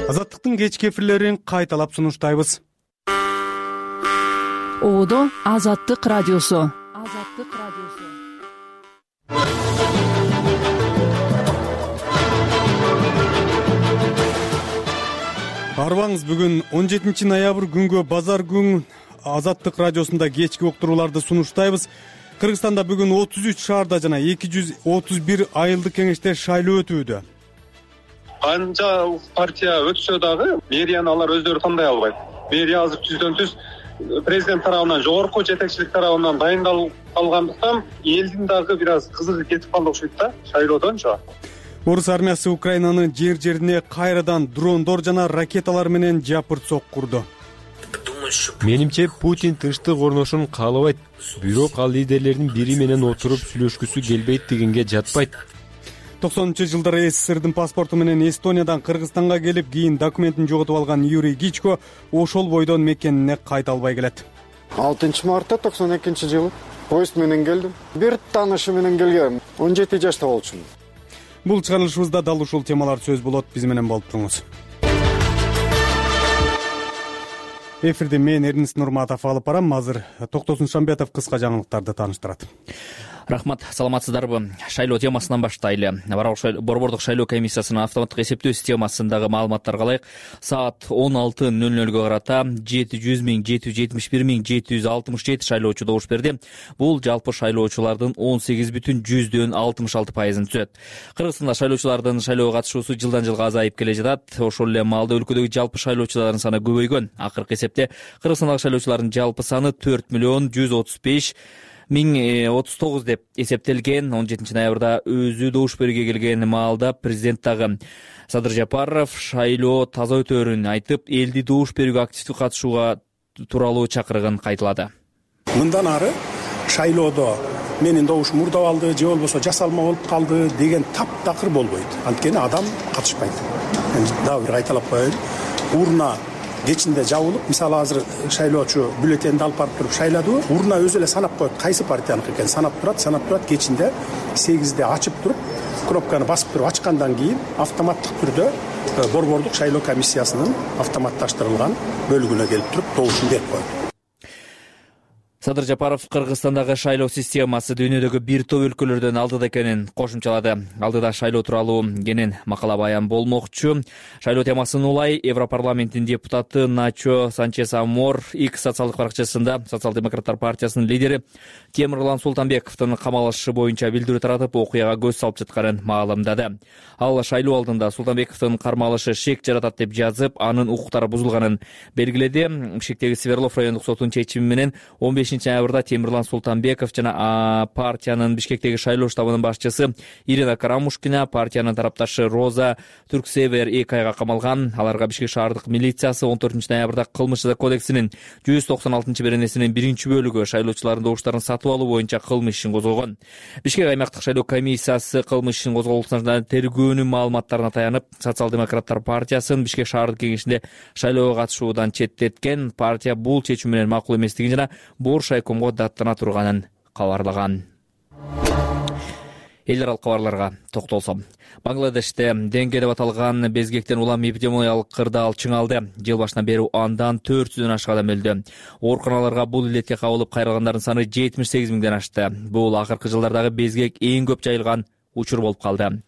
Азаттыктын кечки эфирлерин кайталап сунуштайбыз. Одо Азаттык радиосу. Арбаңыз, бүгүн 17 ноябрь күнгө базар күн Азаттык радиосунда кечки уктурууларды сунуштайбыз. Кыргызстанда бүгүн 33 шаарда жана 231 айылдык кеңеште шайлоо өтүүдө. Канча партия өтсө дагы мэрияны алар өздөрү тандай албайт. Мэрия азыр түздөн түз президент тарабынан, жогорку жетекчилик тарабынан дайындалгандыктан элдин дагы бир аз кызыгы кетип калды окшойт да шайлоодончу. Орус армиясы Украинанын жер-жерине кайрадан дрондор жана ракеталар менен жапырт сок курду. Менимче Путин тынчтык орношун каалабайт. Бирок ал лидерлердин бири менен отуруп сүйлөшкүсү келбейт дегенге жатпайт. 90-жылдары СССРдин паспорту менен Эстониядан Кыргызстанга келип, кийин документин жоготуп алган Юрий Гичко ошол бойдон мекенине кайта албай келет. 6-мартта 92-жылы поезд менен келдим. Бир таанышы менен келгем. 17 жашта болчумун. Бул чыгарылышыбызда дал ушул темалар сөз болот. Биз менен болуп туруңуз. Эфирде мен Эрнис Нурматов алып барам. Азыр Токтосун Шамбетов кыска жаңылыктарды тааныштырат. Рахмат, саламатсыздарбы? Шайлоо темасынан баштайлы. Борбордук шайлоо комиссиясынын автоматтык эсептөө системасындагы маалыматтарга ылайык саат 16:00 карата 700.771.767 шайлоочу добуш берди. Бул жалпы шайлоочулардын 18,66%-ын түзөт. Кыргызстанда шайлоочулардын шайлоого катышуусу жылдан жылга азайып келе жатат. Ошол эле маалда өлкөдөгү жалпы шайлоочулардын саны көбөйгөн. Акыркы эсепте Кыргызстандагы шайлоочулардын жалпы саны 4,135,039 деп эсептелген. 17 ноябрда өзү добуш берүүгө келген маалда президент дагы Садыр Жапаров шайлоо таза өтөөрүн айтып, элди добуш берүүгө активдүү катышууга тууралуу чакырыгын кайталады. Мындан ары шайлоодо менин добушум мурда алды же болбосо жасалма болуп калды деген таптакыр болбойт. Анткени адам катышпайт. Мен дагы бир кайталап коеюн. Урна кечинде жабылып, мисалы азыр шайлоочу бюллетенди алып барып туруп шайлады. Урна өзү эле санап коет, кайсы партияныкы экенин санап турат. Кечинде 8-де ачып туруп, кнопканы басып туруп ачкандан кийин автоматтык түрдө борбордук шайлоо комиссиясынын автоматташтырылган бөлүгүнө келип туруп добушун берип коет. Садыр Жапаров Кыргызстандагы шайлоо системасы дүйнөдөгү бир топ өлкөлөрдөн алдыда экенин кошумчалады. Алдыда шайлоо тууралуу кенен макала баян болмокчу. Шайлоо темасын улай Европарламенттин депутаты Начо Санчес Амор X социалдык баракчасында Социал-демократтар партиясынын лидери Темирлан Султанбековдун камалышы боюнча билдирүү таратып, окуяга көз салып жатканын маалымдады. Ал шайлоо алдында Султанбековдун кармалышы шек жаратат деп жазып, анын укуктары бузулганын белгиледи. Бишкектеги Свердлов райондук сотунун чечими менен 15 ноябрда Темирлан Султанбеков жана партиянын Бишкектеги шайлоо штабынын башчысы Ирина Карамушкина, партиянын тарапташы Роза Түрксевер 2 айга камалган. Аларга Бишкек шаардык милициясы 14 ноябрда Кылмыш кодексинин 196-беренесинин 1-бөлүгү шайлоочулардын добуштарын сатып алуу боюнча кылмыш ишин козгогон. Бишкек аймактык шайлоо комиссиясы кылмыш ишин козголушунан тергөөнүн маалыматтарына таянып, Социал-демократтар партиясын Бишкек шаардык кеңешинде шайлоого катышуудан четтеткен. Партия бул чечим менен макул эместигин жана Боршайкомго даттана турганын кабарлаган. Эл аралык кабарларга токтолсом. Бангладеште денге деп аталган безгектен улам эпидемиологиялык кырдаал чыңалды. Жыл башынан бери андан 400дөн ашык адам өлдү. Ооруканаларга бул илетке кабылып кайрылгандардын саны 78 миңден ашты. Бул акыркы жылдардагы безгек эң көп жайылган учур болуп калды.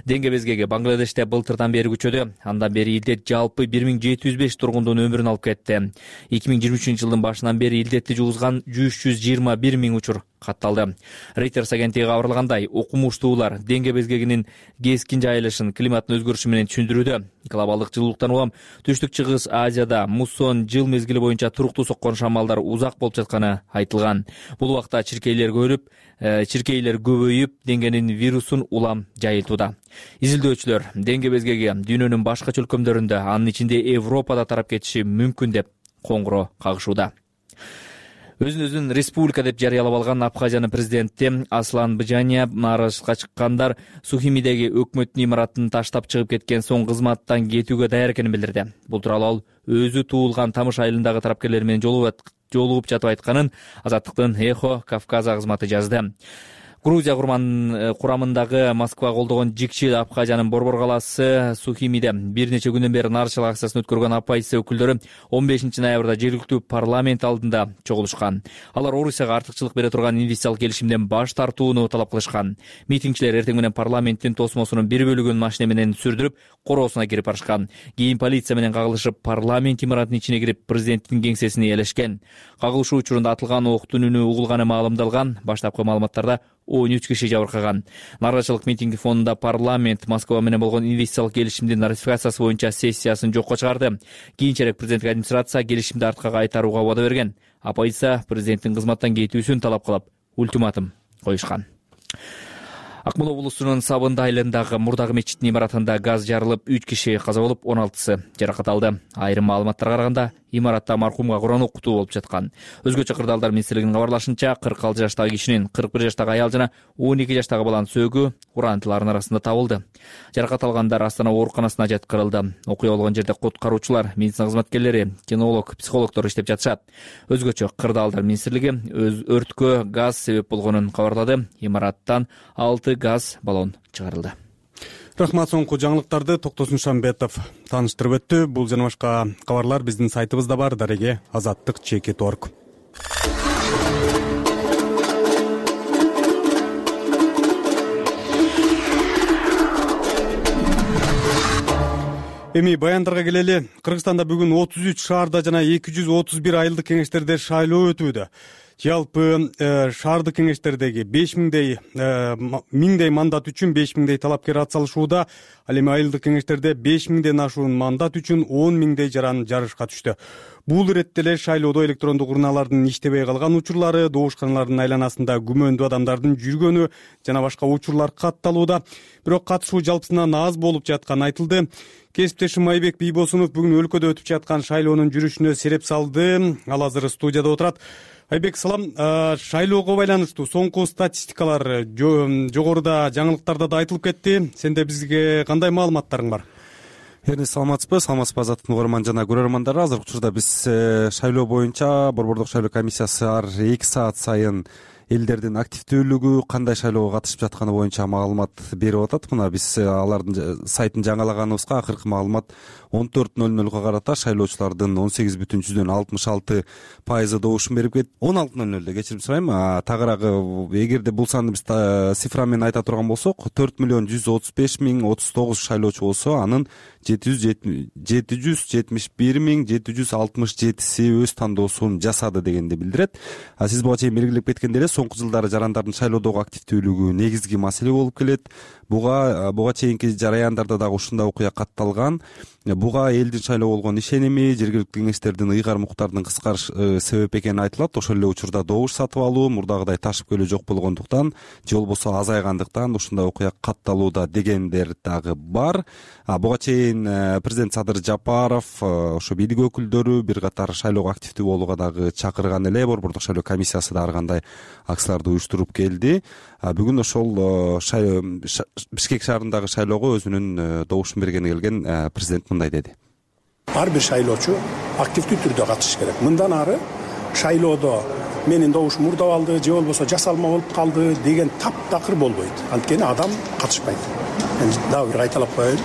Денге безгеги Бангладеште былтырдан бери күчөдү. Андан бери илдет жалпы 1705 тургундун өмүрүн алып кетти. 2023-жылдын башынан бери илдетти жугузган 321 миң учур катталды. Reuters агенттиги кабарлагандай, окумуштуулар денге безгегинин кескин жайылышын климаттын өзгөрүшү менен түшүндүрүүдө. Глобалдык жылуулуктан улам Түштүк Чыгыс Азияда муссон жыл мезгили боюнча туруктуу соккон шамалдар узак болуп жатканы айтылган. Бул убакта чиркейлер көбөйүп, денгенин вирусун улам жайылтууда. Изилдөөчүлөр денге безгеги дүйнөнүн башка чөлкөмдөрүндө, анын ичинде Европада тарап кетиши мүмкүн деп коңгуро кагышууда. Өзүн республика деп жарыялап алган Абхазиянын президенти Аслан Бжания нарышка чыккандар Сухимидеги өкмөттүн имаратын таштап чыгып кеткен соң кызматтан кетүүгө даяр экенин билдирди. Бул тууралуу ал өзү туулган Тамыш айылындагы тарапкерлер менен жолугуп жатып айтканын Азаттыктын Эхо Кавказа кызматы жазды. Грузия курамындагы Москва колдогон Жикчил Абхазиянын Борбор калаасы Сухимиде бир нече күндөн бери нааразычылык акциясын өткөргөн оппозиция өкүлдөрү 15 ноябрда жергиликтүү парламент алдында чогулушкан. Алар Орусияга артыкчылык бере турган инвестициялык келишимден баш тартууну талап кылышкан. Митингчилер эртең менен парламенттин тосмосунун бир бөлүгүн машина менен сүрдүрүп, короосуна кирип барышкан. Кийин полиция менен кагылышып, парламент имаратынын ичине кирип, президенттин кеңсесин ээлешкен. Кагылышуу учурунда атылган октун үнү угулганы маалымдалган. Баштапкы маалыматтарда 13 киши жабыркаган. Нааразычылык митинги фонунда парламент Москва менен болгон инвестициялык келишимдин ратификациясы боюнча сессиясын жокко чыгарды. Кийинчерээк президенттик администрация келишимди артка кайтарууга убада берген. Оппозиция президенттин кызматтан кетүүсүн талап кылып, ультиматум коюшкан. Акмола облусунун Сабынды айылындагы Мурдагы мечитинин имаратында газ жарылып, 3 киши каза болуп, 16сы жаракат алды. Айрым маалыматтарга караганда, имаратта маркумга Куран окутуу болуп жаткан. Өзгөчө кырдаалдар министрлигинин кабарлашынча, 46 жаштагы кишинин 41 жаштагы аял жана 12 жаштагы баланын сөөгү урантылардын арасында табылды. Жаракат алгандар Астана ооруканасына жеткирилди. Окуя болгон жерде куткаруучулар, медицина кызматкерлери, кинолог, психологдор иштеп жатышат. Өзгөчө кырдаалдар министрлиги өрткө газ себеп болгонун кабарлады. Имараттан 6 газ баллон чыгарылды. Рахмат, соңку жаңылыктарды Токтосун Шамбетов тааныштырып өттү. Бул жана башка кабарлар биздин сайтыбызда бар. Дареге azattik.org. Эми баяндарга келели. Кыргызстанда бүгүн 33 шаарда жана 231 айылдык кеңештерде шайлоо өтүүдө. Жалпы шаардык кеңештердеги 5000дей мандат үчүн 5000дей талапкер атсалышууда. Ал эми айылдык кеңештерде 5000ден ашуун мандат үчүн 10.000дей жаран жарышка түштү. Бул иретте эле шайлоодо электрондук урналардын иштебей калган учурлары, добушканалардын айланасында күмөндүү адамдардын жүргөнү жана башка учурлар катталууда. Бирок катышуу жалпысынан аз болуп жатканы айтылды. Кесиптешим Майбек Бийбосунов бүгүн өлкөдө өтүп жаткан шайлоонун жүрүшүнө сереп салды. Ал азыр студияда отурат. Айбек, салам. Шайлоого байланыштуу соңку статистикалар жогоруда жаңылыктарда да айтылып кетти. Сенде бизге кандай маалыматтарың бар? Саламатсызбы Азаттыктын угарман жана көрөрмандары. Азыркы учурда биз шайлоо боюнча Борбордук шайлоо комиссиясы ар 2 саат сайын элдердин активдүүлүгү, кандай шайлоого катышып жатканы боюнча маалымат берип атат. Мына биз алардын сайтын жаңалаганыбызга акыркы маалымат 14:00га карата шайлоочулардын 18,66% добушун берип кетти. 16:00 кечирим сурайм. Тагыраагы эгерде бул санды биз цифра менен айта турган болсок, 4,135,039 шайлоочу болсо, анын 771,767 өз тандоосун жасады дегенди билдирет. Сиз буга чейин белгилеп кеткендей эле, соңку жылдары жарандардын шайлоодогу активдүүлүгү негизги маселе болуп келет. Буга чейинки жараяндарда дагы ушундай окуя катталган. Буга элдин шайлоо болгон ишеними, жергиликтүү кеңештердин ыйгар муктардын кыскарышы себеп экени айтылат. Ошол эле учурда добуш сатып алуу мурдагыдай ташып келүү жок болгондуктан же болбосо азайгандыктан ушундай окуя катталууда дегендер дагы бар. Буга чейин президент Садыр Жапаров, ошо бийлик өкүлдөрү бир катар шайлоого активдүү болууга дагы чакырган эле. Борбордук шайлоо комиссиясы да ар кандай акцияларды уюштуруп келди. Бүгүн ошол Бишкек шаарындагы шайлоого өзүнүн добушун бергени келген президент мындай деди. Ар бир шайлоочу активдүү түрдө катышыш керек. Мындан ары шайлоодо менин добушум мурдап алды же болбосо жасалма болуп калды деген таптакыр болбойт. Анткени адам катышпайт. Мен дагы бир кайталап коеюн.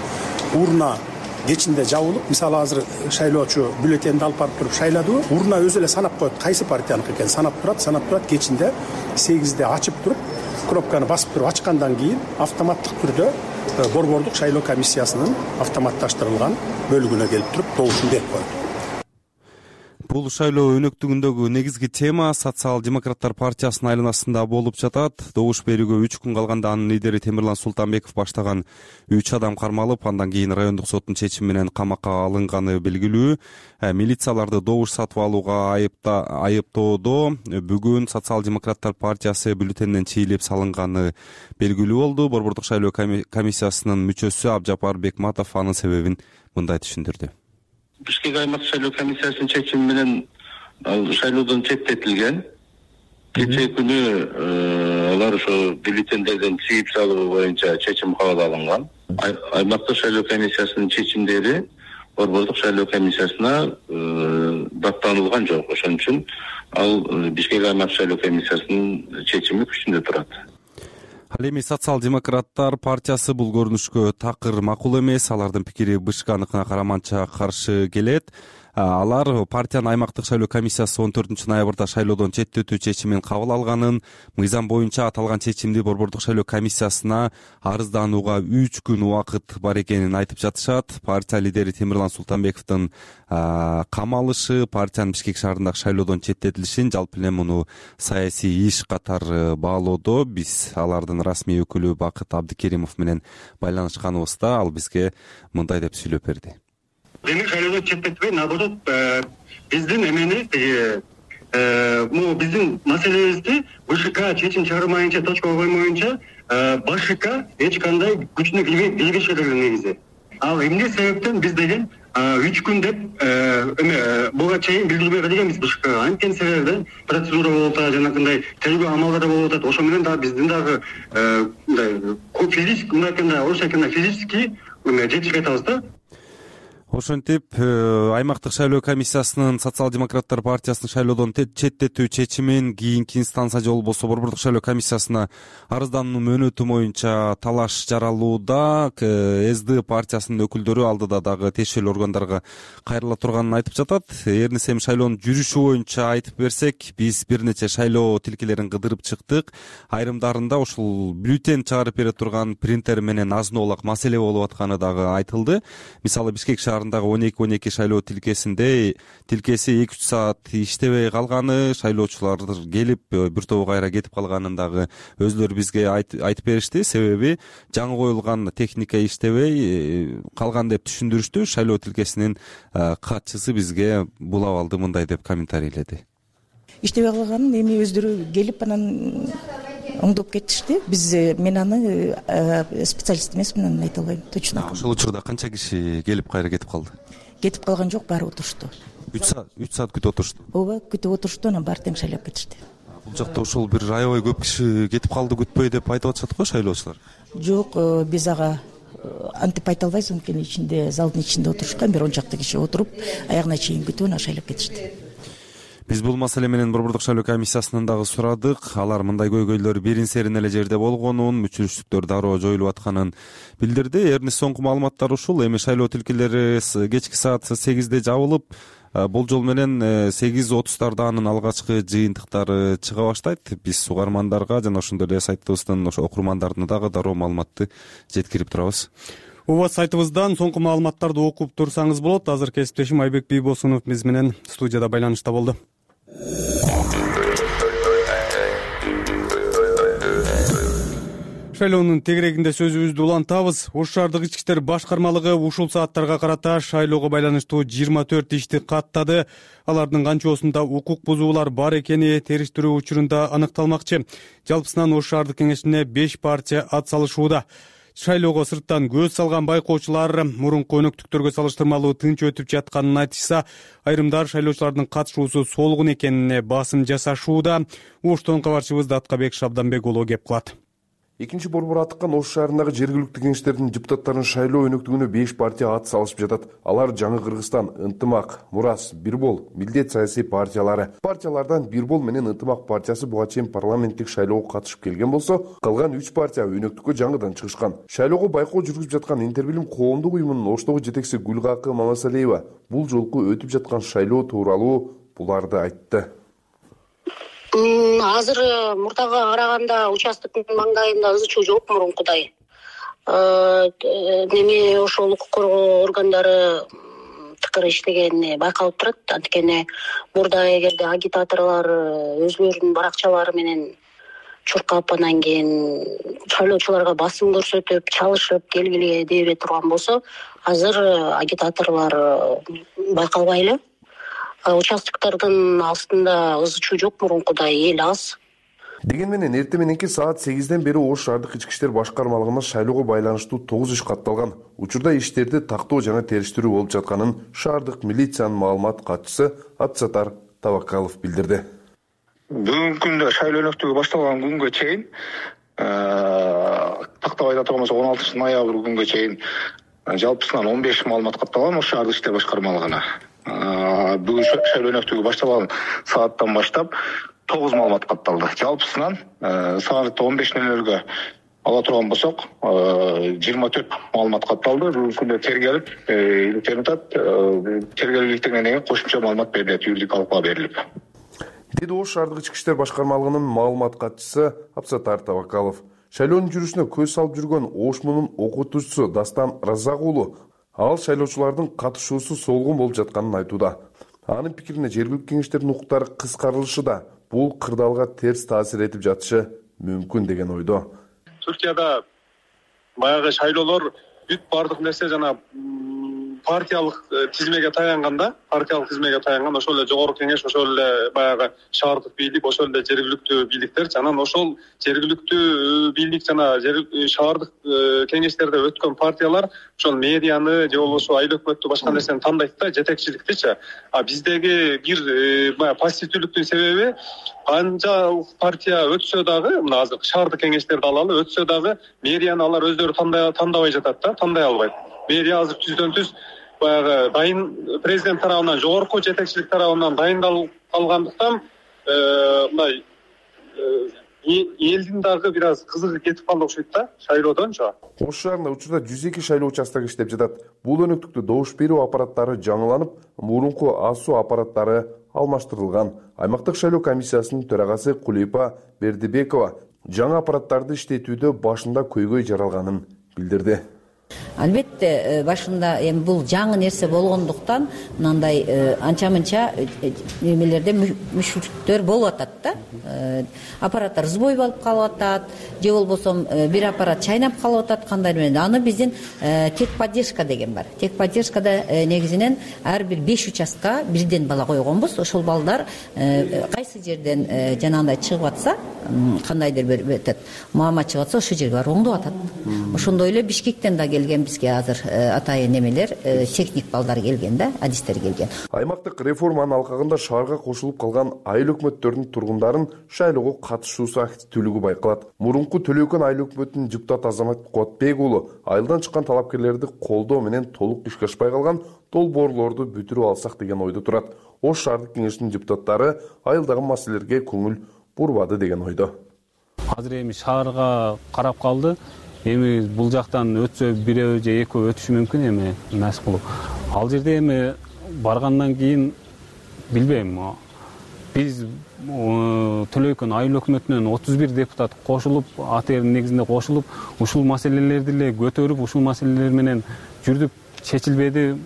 Урна кечинде жабылып, мисалы азыр шайлоочу бюллетенди алып барып туруп шайладыбы, урна өзү эле санап коет кайсы партияныкы экенин санап турат, кечинде 8'de ачып туруп, кнопканы басып туруп ачкандан кийин автоматтык түрдө Борбордук шайлоо комиссиясынын автоматташтырылган бөлүгүнө келип туруп добушун берип коет. Бул шайлоо өнөктүгүндөгү негизги тема Социал-демократтар партиясынын айланасында болуп жатат. Добуш берүүгө 3 күн калганда анын лидери Темирлан Султанбеков баштаган 3 адам кармалып, андан кийин райондук соттун чечими менен камакка алынганы белгилүү. Милицияларды добуш сатып алууга айыптоодо бүгүн Социал-демократтар партиясы бюллетенден чийлеп салынганы белгилүү болду. Борбордук шайлоо комиссиясынын мүчөсү Абжапар Бекматов анын себебин мындай түшүндүрдү. Бишкек аймактык шайлоо комиссиясынын чечими менен шайлоодон четтетилген. Кечээ күнү алар ошо бюллетендерден чийип салуу боюнча чечим кабыл алынган. Аймактык шайлоо комиссиясынын чечимдери Борбордук шайлоо комиссиясына даттанылган жок. Ошон үчүн ал Бишкек аймактык шайлоо комиссиясынын чечими күчүндө турат. Ал эми социал-демократтар партиясы бул көрүнүшкө такыр макул эмес. Алардын пикири БШКныкына караманча каршы келет. Алар партиянын аймактык шайлоо комиссиясы 14 ноябрда шайлоодон четтетүү чечимин кабыл алганын, мыйзам боюнча аталган чечимди борбордук шайлоо комиссиясына арызданууга 3 күн убакыт бар экенин айтып жатышат. Партия лидери Темирлан Султанбековдун камалышы, партиянын Бишкек шаарындагы шайлоодон четтетилишин жалпы эле муну саясий иш катары баалоодо. Биз алардын расмий өкүлү Бакыт Абдыкеримов менен байланышканыбызда ал бизге мындай деп сүйлөп берди. Демек шайлоодон четтетпей, наоборот, биздин эмени могу биздин маселебизди БШК чечим чыгармайынча, точка коймоюнча БШК эч кандай күчүнө тийбеши керек негизи. Ал эмне себептен биз деген 3 күн деп буга чейин билдирбей келгенбиз БШКга. Анткени себебинен процедура болуп атат, жанагындай тергөө амалдары болуп атат. Ошо менен дагы биздин дагы физически, орусча айтканда физически жетишпей атабыз да. Ошентип аймактык шайлоо комиссиясынын социал-демократтар партиясынын шайлоодон четтетүү чечимин кийинки инстанция же болбосо борбордук шайлоо комиссиясына арыздануу мөөнөтү боюнча талаш жаралууда. СД партиясынын өкүлдөрү алдыда дагы тиешелүү органдарга кайрыла турганын айтып жатат. Эрнис эми шайлоонун жүрүшү боюнча айтып берсек, биз бир нече шайлоо тилкелерин кыдырып чыктык. Айрымдарында ушул бюллетень чыгарып бере турган принтер менен азын-оолак маселе болуп атканы дагы айтылды. Мисалы Бишкек шаарындагы 12-12 шайлоо тилкеси 2-3 саат иштебей калганы, шайлоочулар келип бир тобу кайра кетип калганын дагы өзлөрү бизге айтып беришти. Себеби жаңы коюлган техника иштебей калган деп түшүндүрүштү. Шайлоо тилкесинин катчысы бизге бул абалды мындай деп комментарийледи. Иштебей калганын эми өздөрү келип анан оңдоп кетишти. Мен аны специалист эмесмин, анан айта албайм точно. Ошол учурда канча киши келип кайра кетип калды? Кетип калган жок, баары отурушту. 3 саат күтүп отурушту. Ооба, күтүп отурушту, анан баары тең шайлап кетишти. Бул жакта ошол бир аябай көп киши кетип калды күтпөй деп айтып атышат го шайлоочулар. Жок, биз ага антип айта албайбыз, анткени ичинде, залдын ичинде отурушкан, бир 10 чакты киши отуруп, аягына чейин күтүп анан шайлап кетишти. Биз бул маселе менен борбордук шайлоо комиссиясынан дагы сурадык. Алар мындай көйгөйлөр бирин-серин эле жерде болгонун, мүчүлүштүктөр дароо жоюлуп атканын билдирди. Эрнис соңку маалыматтар ушул. Эми шайлоо тилкелери кечки саат 8-де жабылып, болжол менен 8:30 анын алгачкы жыйынтыктары чыга баштайт. Биз угармандарга жана ошондой эле сайтыбыздын окурмандарына дагы дароо маалыматты жеткирип турабыз. Ооба, сайтыбыздан соңку маалыматтарды окуп турсаңыз болот. Азыр кесиптешим Айбек Бийбосунов биз менен студияда байланышта болду. Шайлоонун тегерегинде сөзүбүздү улантабыз. Ош шаардык ички иштер башкармалыгы ушул сааттарга карата шайлоого байланыштуу 24 ишти каттады. Алардын канчоосунда укук бузуулар бар экени териштирүү учурунда аныкталмакчы. Жалпысынан Ош шаардык кеңешине 5 партия ат салышууда. Шайлоого сырттан көз салган байкоочулар мурунку өнөктүктөргө салыштырмалуу тынч өтүп жатканын айтышса, айрымдар шайлоочулардын катышуусу солгун экенине басым жасашууда. Оштон кабарчыбыз Аткабек Шабданбек уулу кеп кылат. Экинчи борбор аттыккан Ош шаарындагы жергиликтүү кеңештердин депутаттарынын шайлоо өнөктүгүнө 5 партия ат салышып жатат. Алар Жаңы Кыргызстан, Ынтымак, Мурас, Бирбол, Милдет саясий партиялары. Партиялардан Бирбол менен Ынтымак партиясы буга чейин парламенттик шайлоого катышып келген болсо, калган 3 партия өнөктүккө жаңыдан чыгышкан. Шайлоого байкоо жүргүзүп жаткан Интербилим коомдук уюмунун Оштогу жетекчиси Гүлгакы Мамасалиева бул жолку өтүп жаткан шайлоо тууралуу буларды айтты. Азыр мурдага караганда участоктун маңдайында ызы чуу жок мурункудай. Неме ошол укук коргоо органдары тыкыр иштегени байкалып турат. Анткени мурда эгерде агитаторлор өзлөрүнүн баракчалары менен чуркап, анан кийин шайлоочуларга басым көрсөтүп, чалышып келгиле дебей турган болсо, азыр агитаторлор байкалбай эле. Участоктордун астында ызы чуу жок мурункудай, эл аз. Деген менен эртең мененки саат 8-ден бери Ош шаардык ички иштер башкармалыгына шайлоого байланыштуу 9 иш катталган. Учурда иштерди тактоо жана териштирүү болуп жатканын шаардык милициянын маалымат катчысы Атсатар Табакалов билдирди. Бүгүнкү күндө шайлоо өнөктүгү башталган күнгө чейин, тактап айта турган болсок 16 ноябрь күнгө чейин жалпысынан 15 маалымат катталган Ош шаардык иштер башкармалыгына. Бүгүн шайлоо өнөктүгү башталган сааттан баштап 9 маалымат катталды. Жалпысынан саат 15:00-гө ала турган болсок 24 маалымат катталды. Бүгүнкү күндө тергелип, тергелгенден кийин кошумча маалымат берилет, юридикалык берилип. Деди Ош шаардык ички иштер башкармалыгынын маалымат катчысы Абсатар Табакалов. Шайлоонун жүрүшүнө көз салып жүргөн Ош мунун окутуучусу Дастан Разак уулу ал шайлоочулардын катышуусу солгун болуп жатканын айтууда. Анын пикирине жергиликтүү кеңештердин укуктары кыскарылышы да бул кырдаалга терс таасир этип жатышы мүмкүн деген ойдо. Түркияда баягы шайлоолор бүт бардык нерсе жана партиялык тизмеге таянган, ошол эле жогорку кеңеш, ошол эле баягы шаардык бийлик, ошол эле жергиликтүү бийликтерчи. Анан ошол жергиликтүү бийлик жана шаардык кеңештерде өткөн партиялар ошол мэрияны же болбосо айыл өкмөттү башка нерсени тандайт да, жетекчиликтичи. А биздеги бир баягы пассивдүүлүктүн себеби канча партия өтсө дагы, мына азыр шаардык кеңештерди алалы, өтсө дагы мэрияны алар өздөрү тандабай жатат да, тандай албайт. Мэрия азыр түздөн түз баягы дайын президент тарабынан, жогорку жетекчилик тарабынан дайындалып калгандыктан мындай элдин дагы бир аз кызыгы кетип калды окшойт да шайлоодончу. Ош шаарында учурда 102 шайлоо участогу иштеп жатат. Бул өнөктүктө добуш берүү аппараттары жаңыланып, мурунку АСУ аппараттары алмаштырылган. Аймактык шайлоо комиссиясынын төрагасы Кулейпа Бердибекова жаңы аппараттарды иштетүүдө башында көйгөй жаралганын билдирди. Албетте башында эми бул жаңы нерсе болгондуктан мындай анча-мынча немелерде мүшүлдүктөр болуп атат да. Аппараттар сбой болуп калып атат, же болбосо бир аппарат чайнап калып атат, кандай менен. Аны биздин техподдержка деген бар. Техподдержкада негизинен ар бир 5 участка бирден бала койгонбуз. Ошол балдар кайсы жерден жанагындай чыгып атса, кандайдыр бир маама чыгып атса, ошол жерге барып оңдоп атат. Ошондой эле Бишкектен да келген бизге азыр атайын немелер, техник балдар келген да, адистер келген. Аймактык реформанын алкагында шаарга кошулуп калган айыл өкмөттөрүнүн тургундарын шайлоого катышуусу активдүүлүгү байкалат. Мурунку Төлөкөн айыл өкмөтүнүн депутаты Азамат Куатбек уулу айылдан чыккан талапкерлерди колдоо менен толук ишке ашпай калган долбоорлорду бүтүрүп алсак деген ойдо турат. Ош шаардык кеңешинин депутаттары айылдагы маселелерге көңүл бурбады деген ойдо. Азыр эми шаарга карап калды. Эми бул жактан өтсө бирөө же экөө өтүшү мүмкүн эми эмес кылып. Ал жерде эми баргандан кийин билбейм. Биз Төлөкөн айыл өкмөтүнөн 31 депутат кошулуп, АТРдин негизинде кошулуп, ушул маселелерди эле көтөрүп, ушул маселелер менен жүрдүк, чечилбеди.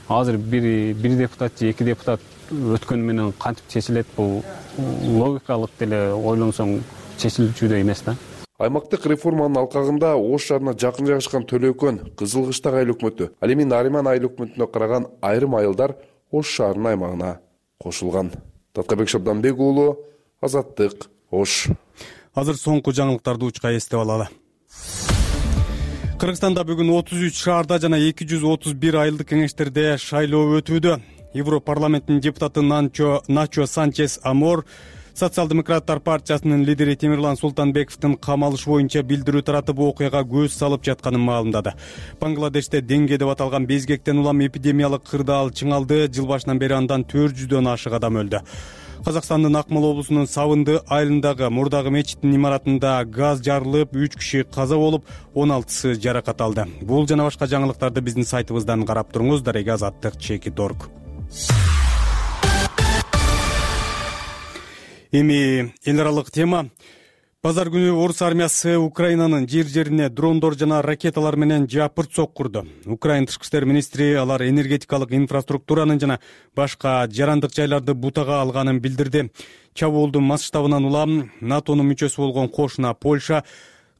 Азыр бир депутат же 2 депутат өткөн менен кантип чечилет, бул логикалык деле ойлонсоң чечилчүдөй эмес да. Аймактык реформанын алкагында Ош шаарына жакын жайгашкан Төлөкөн, Кызылкыштак айыл өкмөтү, ал эми Нариман айыл өкмөтүнө караган айрым айылдар Ош шаарынын аймагына кошулган. Таткабек Шабданбек уулу, Азаттык, Ош. Азыр соңку жаңылыктарды учка эстеп алалы. Кыргызстанда бүгүн 33 шаарда жана 231 айылдык кеңештерде шайлоо өтүүдө. Европарламенттин депутаты Начо Санчес Амор Социал-демократтар партиясынын лидери Темирлан Султанбековдун камалышы боюнча билдирүү таратып окуяга көз салып жатканын маалымдады. Бангладеште деңге деп аталган безгектен улам эпидемиялык кырдаал чыңалды. Жыл башынан бери андан 400дөн ашык адам өлдү. Казакстандын Акмола облусунун Савынды айылындагы мурдагы мечиттин имаратында газ жарылып, 3 киши каза болуп, 16сы жаракат алды. Бул жана башка жаңылыктарды биздин сайтыбыздан карап туруңуз. Дареги Азаттык.org. Эми эл аралык тема. Базар күнү орус армиясы Украинанын жер-жерине дрондор жана ракеталар менен жапырт соккурду. Украина тышкы иштер министри алар энергетикалык инфраструктуранын жана башка жарандык жайларды бутага алганын билдирди. Чабуулдун масштабынан улам НАТОнун мүчөсү болгон кошуна Польша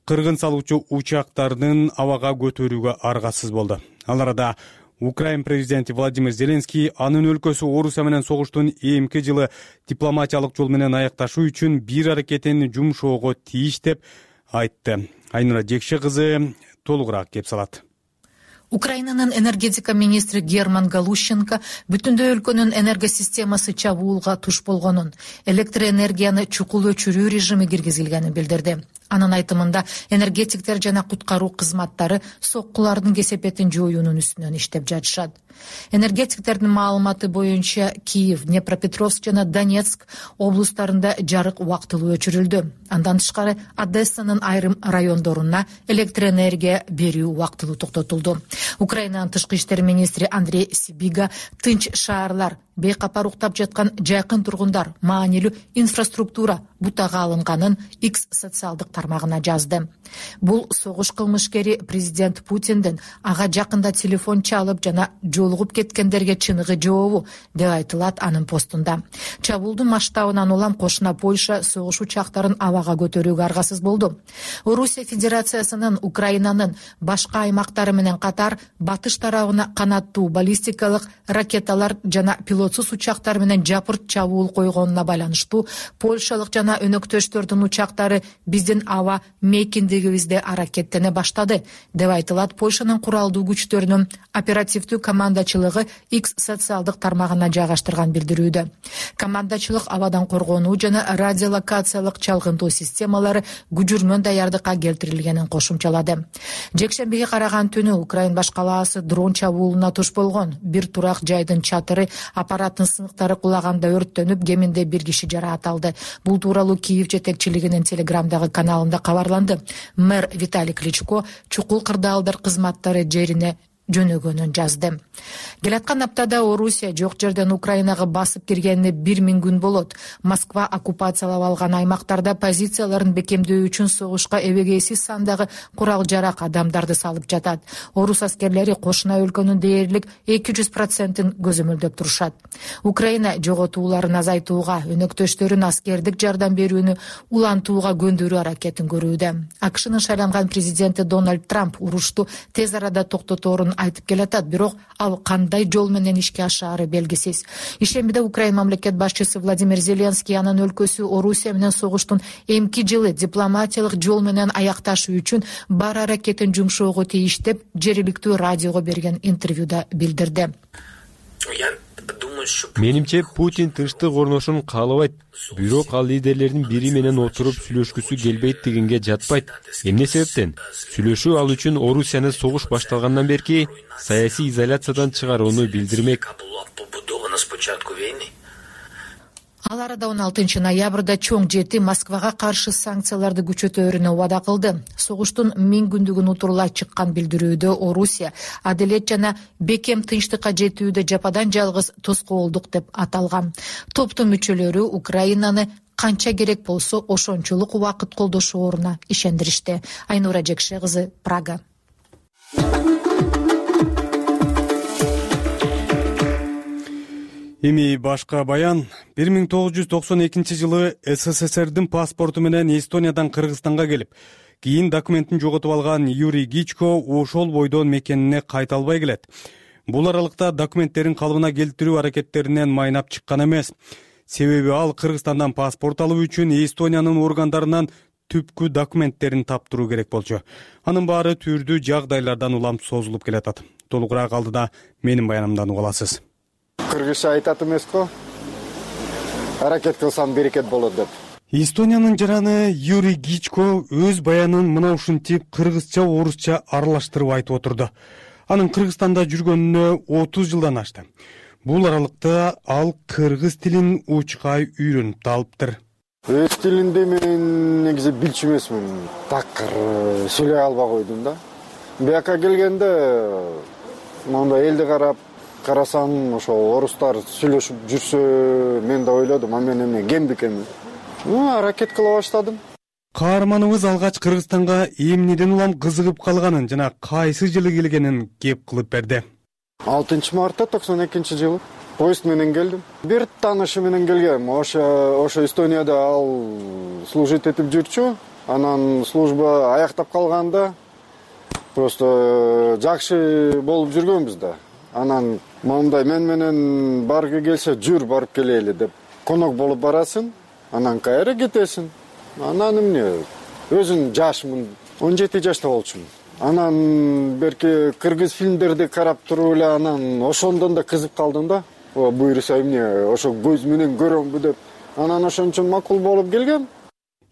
кыргын салуучу учактардын абага көтөрүүгө аргасыз болду. Ал арада Украина президенти Владимир Зеленский анын өлкөсү Орусия менен согуштун эмки жылы дипломатиялык жол менен аякташуу үчүн бир аракетин жумшоого тийиш деп айтты. Айнура Жекше кызы толугураак кеп салат. Украинанын энергетика министри Герман Галущенко бүтүндөй өлкөнүн энергосистемасы чабуулга туш болгонун, электр энергияны чукул өчүрүү режими киргизилгенин билдирди. Анын айтымында энергетиктер жана куткаруу кызматтары соккулардын кесепетин жоюунун үстүнөн иштеп жатышат. Энергетиктердин маалыматы боюнча Киев, Днепропетровск жана Донецк облустарында жарык убактылуу өчүрүлдү. Андан тышкары Одессанын айрым райондоруна электроэнергия берүү убактылуу токтотулду. Украинанын тышкы иштер министри Андрей Сибига тынч шаарлар, бейкапар уктап жаткан жакын тургундар, маанилүү инфраструктура бутага алынганын X социалдык тармагына жазды. Бул согуш кылмышкери президент Путиндин ага жакында телефон чалып жана жолугуп кеткендерге чыныгы жообу деп айтылат анын постунда. Чабуулдун масштабынан улам кошуна Польша согуш учактарын абага көтөрүүгө аргасыз болду. Орусия Федерациясынын Украинанын башка аймактары менен катар батыш тарабына канаттуу баллистикалык ракеталар жана пилотсуз учактар менен жапырт чабуул койгонуна байланыштуу польшалык жана өнөктөштөрдүн учактары биздин аба мейкиндигибизде аракеттене баштады деп айтылат Польшанын куралдуу күчтөрүнүн оперативдүү командачылыгы X социалдык тармагына жайгаштырган билдирүүдө. Командачылык абадан коргонуу жана радиолокациялык чалгынтуу системалары күжүрмөн даярдыкка келтирилгенин кошумчалады. Жекшембиге караган түнү Украин баш калаасы дрон чабуулуна туш болгон. Бир турак жайдын чатыры аппараттын сыныктары кулаганда өрттөнүп, кеминде бир киши жараат алды. Бул тууралуу Киев жетекчилигинин телеграмдагы каналында кабарланды. Мэр Виталий Кличко чукул кырдаалдар кызматтары жерине жөнөгөнүн жазды. Келаткан аптада Орусия жок жерден Украинага басып киргенине 1000 күн болот. Москва оккупациялап алган аймактарда позицияларын бекемдөө үчүн согушка эбегейсиз сандагы курал-жарак адамдарды салып жатат. Орус аскерлери кошуна өлкөнүн дээрлик 200%-ин көзөмөлдөп турушат. Украина жоготууларын азайтууга, өнөктөштөрүн аскердик жардам берүүнү улантууга көндүрүү аракетин көрүүдө. АКШнын шайланган президенти Дональд Трамп урушту тез арада токтоторун айтып келатат, бирок ал кандай жол менен ишке ашаары белгисиз. Ишембиде Украина мамлекет башчысы Владимир Зеленский анын өлкөсү Орусия менен согуштун эмки жылы дипломатиялык жол менен аякташуу үчүн бар аракетин жумшоого тийиш деп жергиликтүү радиого берген интервьюда билдирди. Менимче Путин тынчтык орношун каалабайт, бирок ал лидерлердин бири менен отуруп сүйлөшкүсү келбейт дегенге жатпайт. Эмне себептен? Сүйлөшүү ал үчүн Орусияны согуш башталгандан берки саясий изоляциядан чыгарууну билдирмек. Ал арада 16 ноябрда чоң жети Москвага каршы санкцияларды күчөтөөрүнө убада кылды. Согуштун 1000 күндүгүн утурлай чыккан билдирүүдө Орусия адилет жана бекем тынчтыкка жетүүдө жападан жалгыз тоскоолдук деп аталган. Топтун мүчөлөрү Украинаны канча керек болсо ошончолук убакыт колдошооруна ишендиришти. Айнура Жекше кызы, Прага. Эми башка баян. 1992 жылы СССРдин паспорту менен Эстониядан Кыргызстанга келип, кийин документин жоготуп алган Юрий Гичко ошол бойдон мекенине кайта албай келет. Бул аралыкта документтерин калыбына келтирүү аракеттеринен майнап чыккан эмес. Себеби ал Кыргызстандан паспорт алуу үчүн Эстониянын органдарынан түпкү документтерин таптыруу керек болчу. Анын баары түрдүү жагдайлардан улам созулуп келатат. Толугураак алдыда менин баянымдан уга аласыз. Кыргызча айтат эмес-го. Аракет кылсам берекет болот деп. Эстониянын жараны Юрий Гичко өз баянын мына ушинтип кыргызча, орусча аралаштырып айтып отурду. Анын Кыргызстанда жүргөнүнө 30 жылдан ашты. Бул аралыкта ал кыргыз тилин учкай үйрөнүп да алыптыр. Өз тилинде мен негизи билчү эмесмин. Такыр сүйлөй албай койдум да. Бияка келгенде мондай элди карасам, ошо орустар сүйлөшүп жүрсө, мен да ойлодум, а мен эмне кем бекенмин. Аракет кыла баштадым. Каарманыбыз алгач Кыргызстанга эмнеден улам кызыгып калганын жана кайсы жылы келгенин кеп кылып берди. 6 мартта 92 жылы поезд менен келдим. Бир таанышы менен келгем. Ошо Эстонияда ал служить этип жүрчү. Анан служба аяктап калганда просто жакшы болуп жүргөнбүз да. Анан моундай мен менен баргы келсе жүр барып келели деп конок болуп барасың, анан кайра кетесиң. Анан эмне? Өзүм жашмын, 17 жашта болчумун. Анан берки кыргыз фильмдерди карап туруп эле анан ошондон да кызып калдым да. Буйруса эмне, ошо көз менен көрөмбү деп. Анан ошон үчүн макул болуп келгем.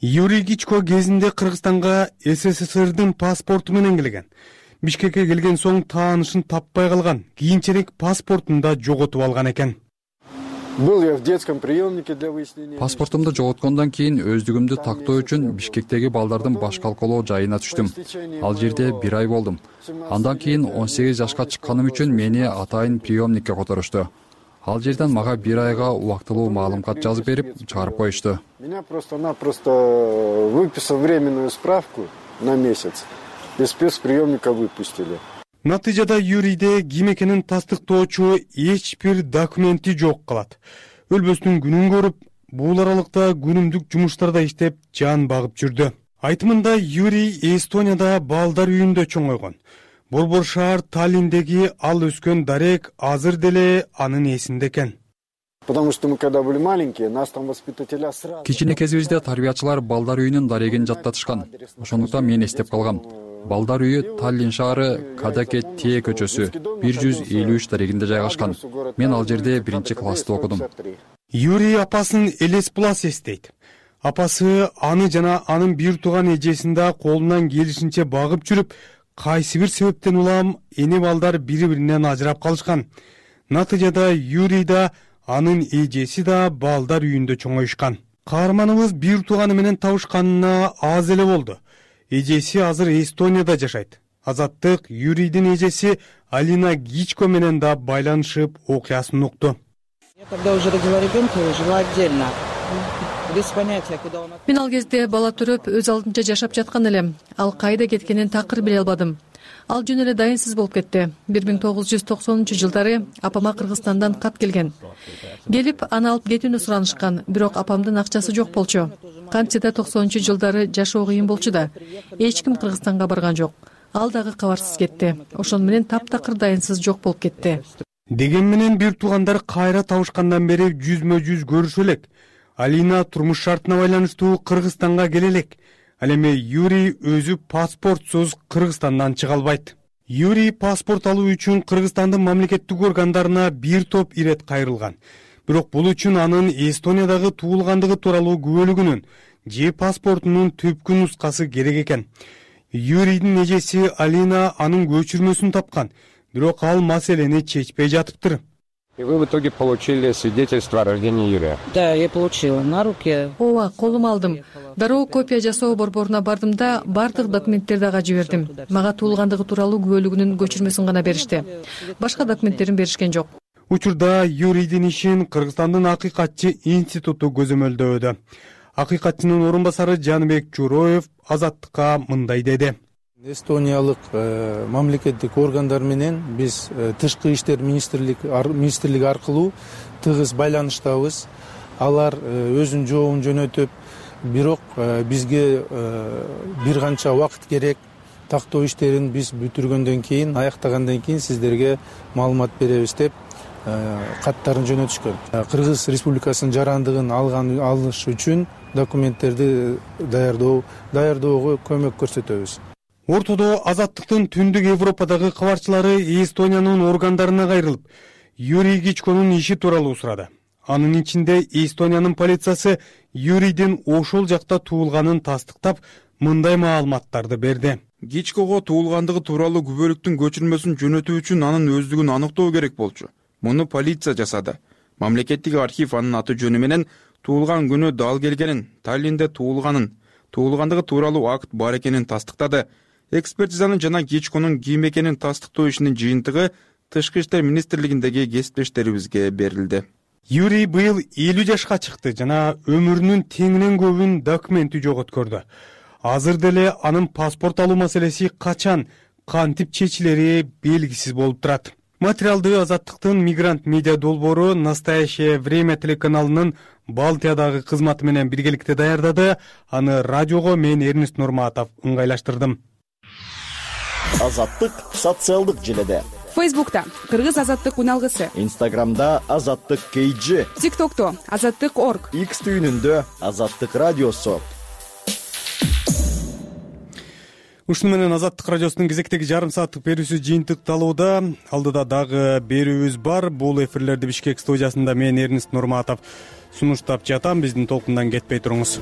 Юрий Гичко кезинде Кыргызстанга СССРдин паспорту менен келген. Бишкекке келген соң таанышын таппай калган, кийинчерээк паспортун да жоготуп алган экен. Был я в детском приемнике для выяснения. Паспортумду жоготкондон кийин өздүгүмдү тактоо үчүн Бишкектеги балдардын баш калкалоо жайына түштүм. Ал жерде 1 ай болдум. Андан кийин 18 жашка чыкканым үчүн мени атайын приемникке которушту. Ал жерден мага 1 айга убактылуу маалымат жазып берип, чыгарып коюшту. Меня просто-напросто выписал временную справку на месяц. Из спецприемника выпустили. Натыйжада Юрийде ким экенин тастыктоочу эч бир документи жок калат. Өлбөстүн күнүн көрүп, бул аралыкта күнүмдүк жумуштарда иштеп, жан багып жүрдү. Айтымында Юрий Эстонияда балдар үйүндө чоңойгон. Борбор шаар Таллиндеги ал өскөн дарек азыр деле анын эсинде экен. Потому что мы когда были маленькие, нас там воспитателя сразу. Кичине кезибизде тарбиячылар балдар үйүнүн дарегин жаттатышкан. Ошондуктан мен эстеп калгам. Балдар үйү Таллин шаары Кадакет Тие көчөсү 153 дарегинде жайгашкан. Мен ал жерде 1-классты окудум. Юрий апасын элес булас эстейт. Апасы аны жана анын бир тууган эжесин да колунан келишинче багып жүрүп, кайсы бир себептен улам эне балдар бири-биринен ажырап калышкан. Натыйжада Юрий да анын эжеси да балдар үйүндө чоңоюшкан. Каарманыбыз бир тууганы менен табышканына аз эле болду. Эжеси азыр Эстонияда жашайт. Азаттык Юрийдин эжеси Алина Гичко менен да байланышып окуясын укту. Я когда уже родила ребенка, жила отдельно. Без понятия, куда он. Мен ал кезде бала төрөп, өз алдынча жашап жаткан элем. Ал кайда кеткенин такыр биле албадым. Ал жөн эле дайынсыз болуп кетти. 1990-жылдары апама Кыргызстандан кат келген. Келип, аны алып кетүүнү суранышкан, бирок апамдын акчасы жок болчу. Кантсе да 90-жылдары жашоо кыйын болчу да. Эч ким Кыргызстанга барган жок. Ал дагы кабарсыз кетти. Ошону менен таптакыр дайынсыз жок болуп кетти. Деген менен бир туугандар кайра табышкандан бери жүзмө-жүз көрүшө элек. Алина турмуш шартына байланыштуу Кыргызстанга келе элек. Ал эми Юрий өзү паспортсуз Кыргызстандан чыга албайт. Юрий паспорт алуу үчүн Кыргызстандын мамлекеттик органдарына бир топ ирет кайрылган. Бирок бул үчүн анын Эстониядагы туулгандыгы тууралуу күбөлүгүнүн же паспортунун түпкү нускасы керек экен. Юрийдин эжеси Алина анын көчүрмөсүн тапкан, бирок ал маселени чечпей жатыптыр. И вы в итоге получили свидетельство о рождении Юрия? Да, я получила на руки. Ооба, колума алдым. Дароо копия жасоо борборуна бардым да, бардык документтерди ага жибердим. Мага туулгандыгы тууралуу күбөлүгүнүн көчүрмөсүн гана беришти. Башка документтерин беришкен жок. Учурда Юрийдин ишин Кыргызстандын акыйкатчы институту көзөмөлдөөдө. Акыйкатчынын орун басары Жаныбек Журоев Азаттыкка мындай деди. Эстониялык мамлекеттик органдар менен биз тышкы иштер министрлиги аркылуу тыгыз байланыштабыз. Алар өзүнүн жообун жөнөтүп, бирок бизге бир канча убакыт керек. Тактоо иштерин биз бүтүргөндөн кийин, аяктагандан кийин сиздерге маалымат беребиз деп каттарын жөнөтүшкөн. Кыргыз Республикасынын жарандыгын алыш үчүн документтерди даярдоого көмөк көрсөтөбүз. Ортодо Азаттыктын түндүк Европадагы кабарчылары Эстониянын органдарына кайрылып, Юрий Гичконун иши тууралуу сурады. Анын ичинде Эстониянын полициясы Юрийдин ошол жакта туулганын тастыктап, мындай маалыматтарды берди. Гичкого туулгандыгы тууралуу күбөлүктүн көчүрмөсүн жөнөтүү үчүн анын өздүгүн аныктоо керек болчу. Муну полиция жасады. Мамлекеттик архив анын аты жөнү менен туулган күнү дал келгенин, Таллинде туулгандыгы тууралуу акт бар экенин тастыктады. Экспертизанын жана Гичконун ким экенин тастыктоо ишинин жыйынтыгы Тышкы иштер министрлигиндеги кесиптештерибизге берилди. Юрий быйыл 50 жашка чыкты жана өмүрүнүн теңинен көбүн документи жоготкөрдү. Азыр деле анын паспорт алуу маселеси качан, кантип чечилери белгисиз болуп турат. Материалды Азаттыктын Мигрант медиа долбоору Настоящее время телеканалынын Балтиядагы кызматы менен биргеликте даярдады. Аны радиого мен Эрнест Нурматов ыңгайлаштырдым. Азаттык социалдык желеде. Фейсбукта Кыргыз Азаттык уналгысы. Инстаграмда Азаттык KG. ТикТокто Азаттык.org. X түйүнүндө Азаттык радиосу. Ушуну менен Азаттык радиосунун кезектеги жарым сааттык берүүсү жыйынтыкталууда. Алдыда дагы берүүбүз бар. Бул эфирлерди Бишкек студиясында мен Эрнест Нурматов сунуштап жатам. Биздин толкундан кетпей туруңуз.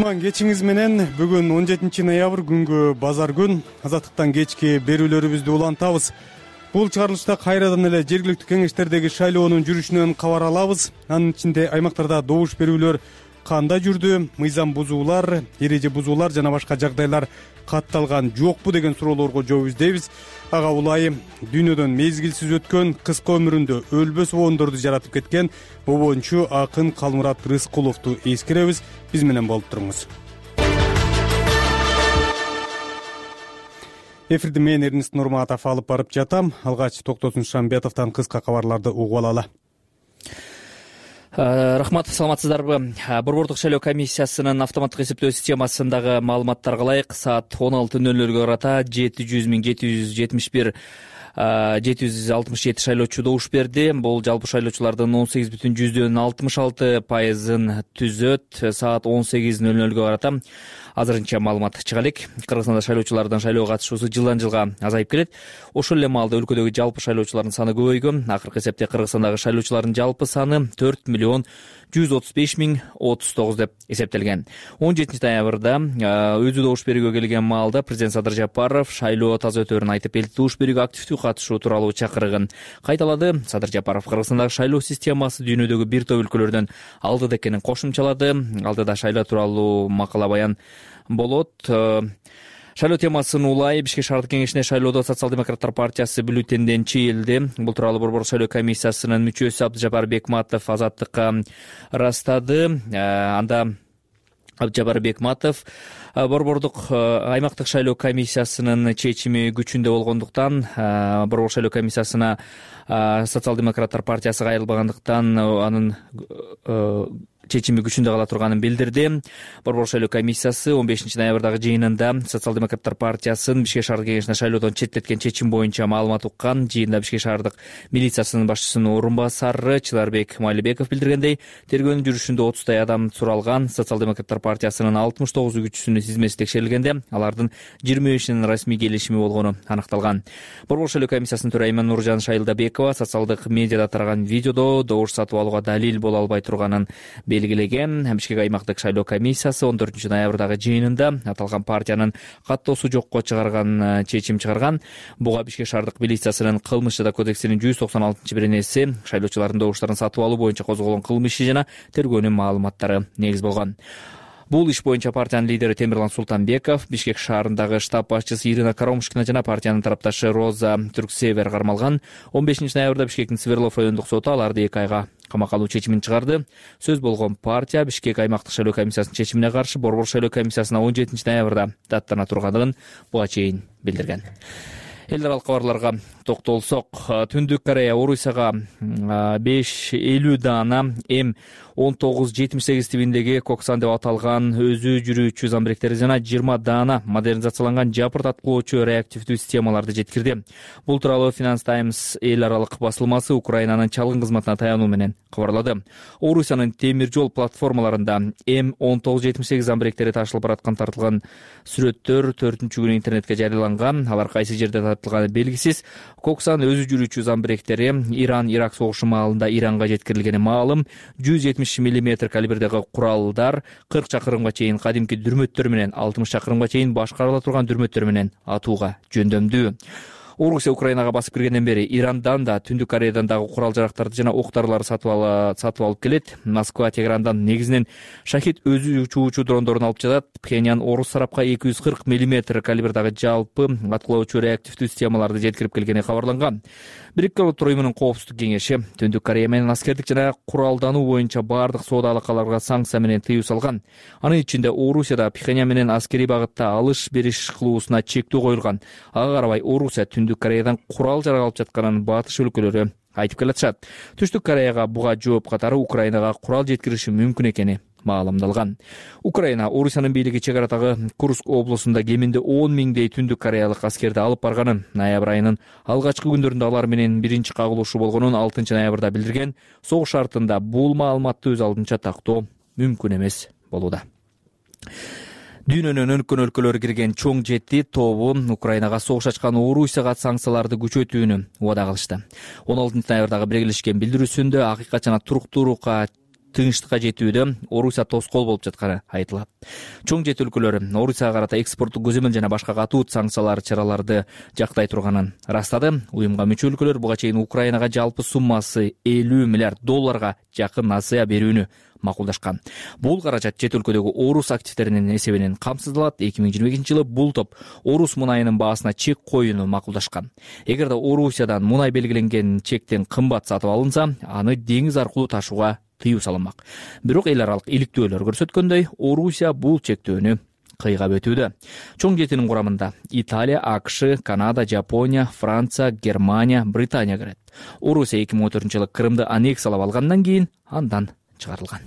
кутман кечиңиз менен. Бүгүн 17 ноябрь күнгө базар күн. Азаттыктан кечки берүүлөрүбүздү улантабыз. Бул чыгарылышта кайрадан эле жергиликтүү кеңештердеги шайлоонун жүрүшүнөн кабар алабыз. Анын ичинде аймактарда добуш берүүлөр кандай жүрдү, мыйзам бузуулар, эреже бузуулар жана башка жагдайлар катталган жокпу деген суроолорго жооп издейбиз. Ага улайы дүйнөдөн мезгилсиз өткөн, кыска өмүрүндө өлбөс обондорду жаратып кеткен обончу акын Калмурат Рыскуловду эскеребиз. Биз менен болуп туруңуз. Эфирди мен Эрнест Нурматов алып барып жатам. Алгач Токтосун Шамбетовдон кыска кабарларды угуп алалы. Рахмат, саламатсыздарбы? Борбордук шайлоо комиссиясынын автоматтык эсептөө системасындагы маалыматтарга ылайык саат 16:00 карата 700.767 шайлоочу добуш берди. Бул жалпы шайлоочулардын 18,66%-ын түзөт. Саат 18:00 карата азырынча маалымат чыга элек. Кыргызстанда шайлоочулардын шайлоого катышуусу жылдан жылга азайып келет. Ошол эле маалда өлкөдөгү жалпы шайлоочулардын саны көбөйгөн. Акыркы эсепте Кыргызстандагы шайлоочулардын жалпы саны 4,135,039 деп эсептелген. 17 ноябрда өзү добуш берүүгө келген маалда президент Садыр Жапаров шайлоо таза өтөөрүн айтып, элди добуш берүүгө активдүү катышуу тууралуу чакырыгын кайталады. Садыр Жапаров Кыргызстандагы шайлоо системасы дүйнөдөгү бир топ өлкөлөрдөн алдыда экенин кошумчалады. Алдыда шайлоо тууралуу макала баян болот. Шайлоо темасын улай Бишкек шаардык кеңешине шайлоодо Социал-демократтар партиясы бюллетенден чийилди. Бул тууралуу Борбордук шайлоо комиссиясынын мүчөсү Абдыжапар Бекматов Азаттыкка ырастады. Анда Абдыжапар Бекматов Борбордук аймактык шайлоо комиссиясынын чечими күчүндө болгондуктан, Борбордук шайлоо комиссиясына Социал-демократтар партиясы кайрылбагандыктан анын чечими күчүндө кала турганын билдирди. Борбордук шайлоо комиссиясы 15 ноябрдагы жыйынында Социал-демократтар партиясын Бишкек шаардык кеңешине шайлоодон четтеткен чечим боюнча маалымат уккан. Жыйында Бишкек шаардык милициясынын башчысынын орун басары Чыларбек Майлыбеков билдиргендей, тергөөнүн жүрүшүндө 30 адам суралган. Социал-демократтар партиясынын 69 күчүсүнүн тизмеси текшерилгенде, алардын 25-инин расмий келишими болгону аныкталган. Борбордук шайлоо комиссиясынын төрайымы Нуржан Шайылдабекова социалдык медиада тараган видеодо добуш сатып алууга далил боло албай турганын белгилеген. Бишкек аймактык шайлоо комиссиясы 14 ноябрдагы жыйынында аталган партиянын каттоосу жокко чыгарган чечим чыгарган. Буга Бишкек шаардык милициясынын кылмыш жада кодексинин 196-беренеси шайлоочулардын добуштарын сатып алуу боюнча козголгон кылмыш иши жана тергөөнүн маалыматтары негиз болгон. Бул иш боюнча партиянын лидери Темирлан Султанбеков, Бишкек шаарындагы штаб башчысы Ирина Карамушкина жана партиянын тарапташы Роза Түрксевер кармалган. 15 ноябрда Бишкектин Сверлов райондук соту аларды 2 айга камакка алуу чечимин чыгарды. Сөз болгон партия Бишкек аймактык шайлоо комиссиясынын чечимине каршы Борбордук шайлоо комиссиясына 17 ноябрда даттана турганын буга чейин билдирген. Эл аралык кабарларга токтолсок, Түндүк Корея Орусияга 550 дана М1978 тибиндеги Коксан деп аталган өзү жүрүүчү замбиректери жана 20 дана модернизацияланган жапырт аткылоочу реактивдүү системаларды жеткирди. Бул тууралуу Finance Times эл аралык басылмасы Украинанын чалгын кызматына таянуу менен кабарлады. Орусиянын темир жол платформаларында М1978 замбиректери ташылып бараткан тартылган сүрөттөр 4-күнү интернетке жарыяланган. Алар кайсы жерде тартылганы белгисиз. Коксан өзү жүрүүчү замбиректери Иран-Ирак согушу маалында Иранга жеткирилгени маалым. 170 мм калибрдеги куралдар 40 чакырымга чейин кадимки дүрмөттөр менен 60 чакырымга чейин башкарыла турган дүрмөттөр менен атууга жөндөмдүү. Орусия Украинага басып киргенден бери Ирандан да, Түндүк Кореядан дагы курал-жарактарды жана оқ-дарыларды сатып алып келет. Москва Тегерандан негизинен Шахид өзү учуучу дрондорун алып жатат. Пхеньян орус тарапка 240 мм калибрдагы жалпы аткылоочу реактивдүү системаларды жеткирип келгени кабарланган. Бириккен Улуттар уюмунун коопсуздук кеңеши Түндүк Корея менен аскердик жана куралдануу боюнча бардык соода алакаларга санкция менен тыюу салган. Анын ичинде Орусияда Пхеньян менен аскерий багытта алыш-бериш кылуусуна чектөө коюлган. Ага карабай Орусия Түндүк Кореядан курал-жарак алып жатканын батыш өлкөлөрү айтып келатышат. Түштүк Кореяга буга жооп катары Украинага курал жеткириши мүмкүн экени маалымдалган. Украина Орусиянын бийлиги чек арадагы Курск облусунда кеминде 10 миңдей Түндүк Кореялык аскерди алып барганын, ноябрь айынын алгачкы күндөрүндө алар менен биринчи кагылышуу болгонун 6 ноябрда билдирген. Согуш шартында бул маалыматты өз алдынча тактоо мүмкүн эмес болууда. Дүйнөнүн өнүккөн өлкөлөрү кирген чоң жети тобу Украинага согуш ачкан Орусияга санкцияларды күчөтүүнү убада кылышты. 16 ноябрдагы биргелешкен билдирүүсүндө акыйкат жана туруктуулукка тынчтыкка жетүүдө Орусия тоскоол болуп жатканы айтылат. Чоң жет өлкөлөр Орусияга карата экспорттук көзөмөл жана башка катуу санкциялар чараларды жактай турганын ырастады. Уюмга мүчө өлкөлөр буга чейин Украинага жалпы суммасы $50 миллиард жакын насыя берүүнү макулдашкан. Бул каражат чет өлкөдөгү орус активдеринин эсебинен камсыздалат. 2022-жылы бул топ орус мунайынын баасына чек коюуну макулдашкан. Эгерде Орусиядан мунай белгиленген чектен кымбат сатып алынса, аны деңиз аркылуу ташууга тыюу салынмак. Бирок эл аралык иликтөөлөр көрсөткөндөй, Орусия бул чектөөнү кыйгап өтүүдө. Чоң жетинин курамында Италия, АКШ, Канада, Жапония, Франция, Германия, Британия кирет. Орусия 2014-жылы Крымды аннексиялап алгандан кийин андан чыгарылган.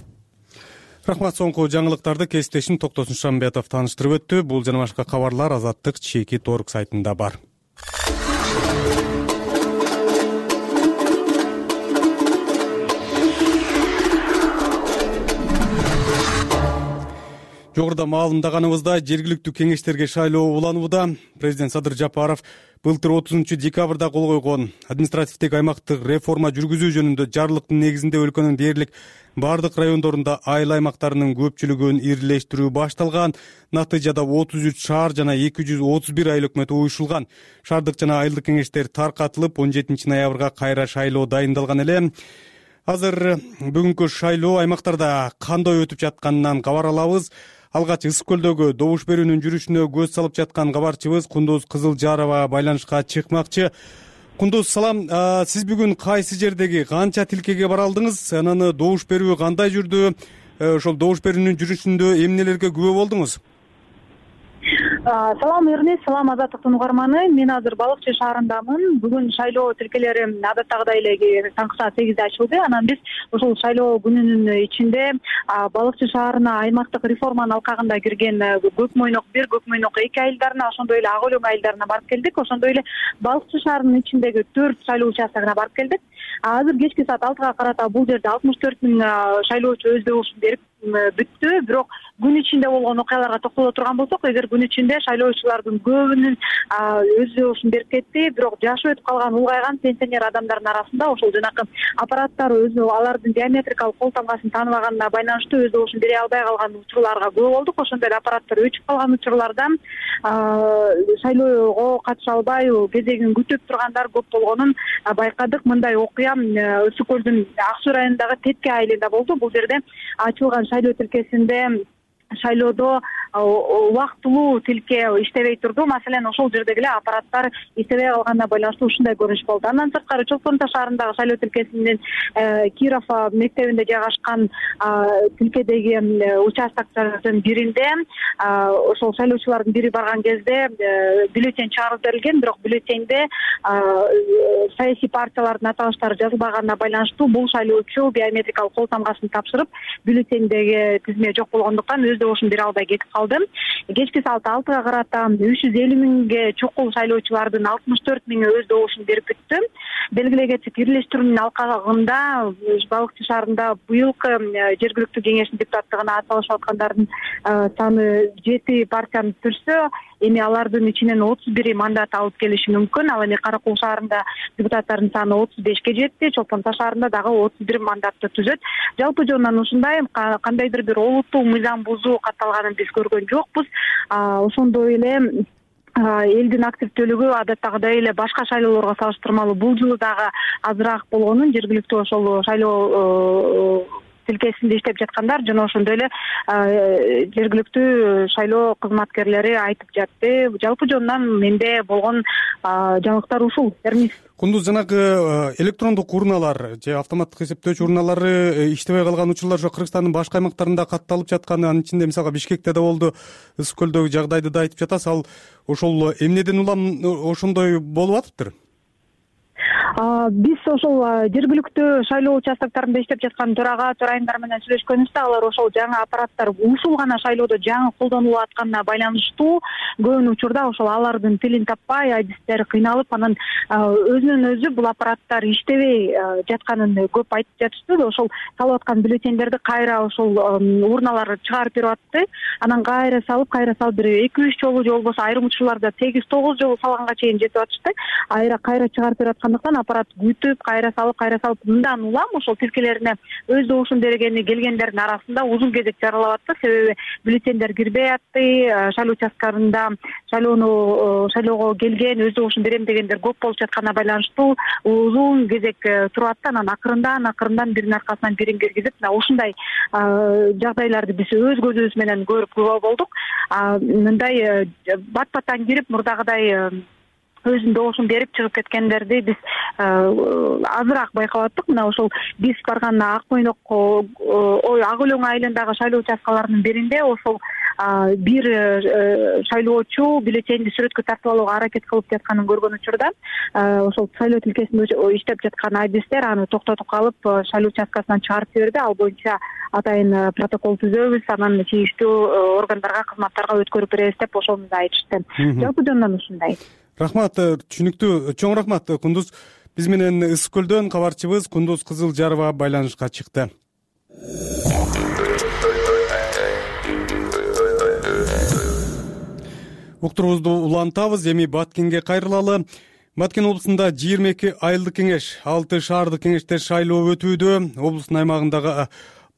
Рахмат. Соңку жаңылыктарды кесиптешим Токтосун Шамбетов тааныштырып өттү. Бул жана башка кабарлар Азаттык Чекит.орг сайтында бар. Жогоруда маалымдаганыбызда жергиликтүү кеңештерге шайлоо уланууда. Президент Садыр Жапаров былтыр 30 декабрда кол койгон административдик аймактык реформа жүргүзүү жөнүндө жарлыктын негизинде өлкөнүн дээрлик бардык райондорунда айыл аймактарынын көпчүлүгүн ирилештирүү башталган. Натыйжада 33 шаар жана 231 айыл өкмөтү уюшулган. Шаардык жана айылдык кеңештер таркатылып, 17 ноябрга кайра шайлоо дайындалган эле. Азыр бүгүнкү шайлоо аймактарда кандай өтүп жатканынан кабар алабыз. Алгач Ысык көлдөгү добуш берүүнүн жүрүшүнө көз салып жаткан кабарчыбыз Кундуз Кызылжарова байланышка чыкмакчы. Кундуз, салам. Сиз бүгүн кайсы жердеги, канча тилкеге бара алдыңыз? Анан добуш берүү кандай жүрдү? Ошол добуш берүүнүн жүрүшүндө эмнелерге күбө болдуңуз? Салам Эрнест, салам Азаттыктын угарманы. Мен азыр Балык Чүй шаарындамын. Бүгүн шайлоо тилкелери адаттагыдай эле таңкы саат 8де ачылды. Анан биз ушул шайлоо күнүнүн ичинде Балык Чүй шаарына аймактык реформанын алкагында кирген Көк Мойнок 1, Көк Мойнок 2 айылдарына, ошондой эле Ак Өлөң айылдарына барып келдик. Ошондой эле Балык Чүй шаарынын ичиндеги 4 шайлоо участогуна барып келдик. Азыр кечки саат 6га карата бул жерде 64 000 шайлоочу өз добушун берип бүттү. Бирок күн ичинде болгон окуяларга токтоло турган болсок, эгер күн ичинде шайлоочулардын көбүнүн өз добушун берип кетти. Бирок жашы өтүп калган улгайган пенсионер адамдардын арасында ошол жанакы аппараттар өзү алардын биометрикалык кол тамгасын тааныбаганына байланыштуу өз добушун бере албай калган учурларга күбө болдук. Ошондой эле аппараттар өчүп калган учурларда шайлоого катыша албай кезегин күтүп тургандар көп болгонун байкадык. Мындай окуя Ысык көлдүн Ак Суу районундагы Тетке айылында болду. Бул жерде ачылган шайлоо тилкесинде шайлоодо убактылуу тилке иштебей турду. Маселен, ошол жердеги эле аппараттар иштебей калганына байланыштуу ушундай көрүнүш болду. Андан сырткары Чолпон Таш шаарындагы шайлоо тилкесинин Киров мектебинде жайгашкан тилкедеги участоктордун биринде ошол шайлоочулардын бири барган кезде бюллетень чыгарып берилген, бирок бюллетеньде саясий партиялардын аталыштары жазылбаганына байланыштуу бул шайлоочу биометрикалык кол тамгасын тапшырып, бюллетендеги тизме жок болгондуктан өз добушун бере албай кетип калды. Кечки саат 6га карата 350 000 чукул шайлоочулардын 64 000 өз добушун берип бүттү. Белгилегенче бирлештирүүнүн алкагында Балык Чүй шаарында быйылкы жергиликтүү кеңештин депутаттыгына аталышып аткандардын саны 7 партияны түзсө, эми алардын ичинен 31 мандат алып келиши мүмкүн. Ал эми Кара Кул шаарында депутаттардын саны 35ке жетти, Чолпон Таш шаарында дагы 31 мандатты түзөт. Жалпы жонунан ушундай кандайдыр бир олуттуу мыйзам бузуу катталганын биз көргөн жокпуз. Ошондой эле элдин активдүүлүгү адаттагыдай эле башка шайлоолорго салыштырмалуу бул жылы дагы азыраак болгонун жергиликтүү ошол шайлоо тилкесинде иштеп жаткандар жана ошондой эле жергиликтүү шайлоо кызматкерлери айтып жатты. Жалпы жонунан менде болгон жаңылыктар ушул. Кундуз, жанагы электрондук урналар же автоматтык эсептөөчү урналары иштебей калган учурлар ошо Кыргызстандын башка аймактарында катталып жатканы, анын ичинде мисалга Бишкекте да болду, Ысык көлдөгү жагдайды да айтып жатасыз. Ал ошол эмнеден улам ошондой болуп атыптыр? Биз ошол жергиликтүү шайлоо участокторунда иштеп жаткан төрайымдар менен сүйлөшкөнүбүздө алар ошол жаңы аппараттар ушул гана шайлоодо жаңы колдонулуп атканына байланыштуу көбүн учурда ошол алардын тилин таппай, адистери кыйналып, анан өзүнөн өзү бул аппараттар иштебей жатканын көп айтып жатышты. Ошол салып аткан бюллетендерди кайра ошол урналар чыгарып берип атты. Анан кайра салып берип 2-3 жолу же болбосо айрым учурларда 8-9 жолу салганга чейин жетип атышты. Кайра чыгарып берип аткандыктан аппарат күтүп кайра салып мындан улам ошол тилкелерине өз добушун бергени келгендердин арасында узун кезек жаралап атты. Себеби бюллетендер кирбей атты, шайлоо участкаларында шайлоого келген өз добушун берем дегендер көп болуп жатканына байланыштуу узун кезек туруп атты. Анан акырындан биринин аркасынан бирин киргизип ушундай жагдайларды биз өз көзүбүз менен көрүп күбө болдук. Мындай бат-баттан кирип мурдагыдай өзүнүн добушун берип чыгып кеткендерди биз азыраак байкап аттык. Мына ошол биз барган Ак Өлөң айылындагы шайлоо участкаларынын биринде ошол бир шайлоочу бюллетенди сүрөткө тартып алууга аракет кылып жатканын көргөн учурда ошол шайлоо тилкесинде иштеп жаткан айдистер аны токтотуп калып шайлоо участкасынан чыгарып жиберди. Ал боюнча атайын протокол түзөбүз, анан тийиштүү органдарга, кызматтарга өткөрүп беребиз деп ошондо айтышты. Жалпы жөнүнөн ушундай. Рахмат, түшүнүктүү. Чоң рахмат Кундуз. Биз менен Ысык Көлдөн кабарчыбыз Кундуз Кызылжарова байланышка чыкты. Уктурубузду улантабыз, эми Баткенге кайрылалы. Баткен облусунда 22 айылдык кеңеш, 6 шаардык кеңеште шайлоо өтүүдө. Облустун аймагындагы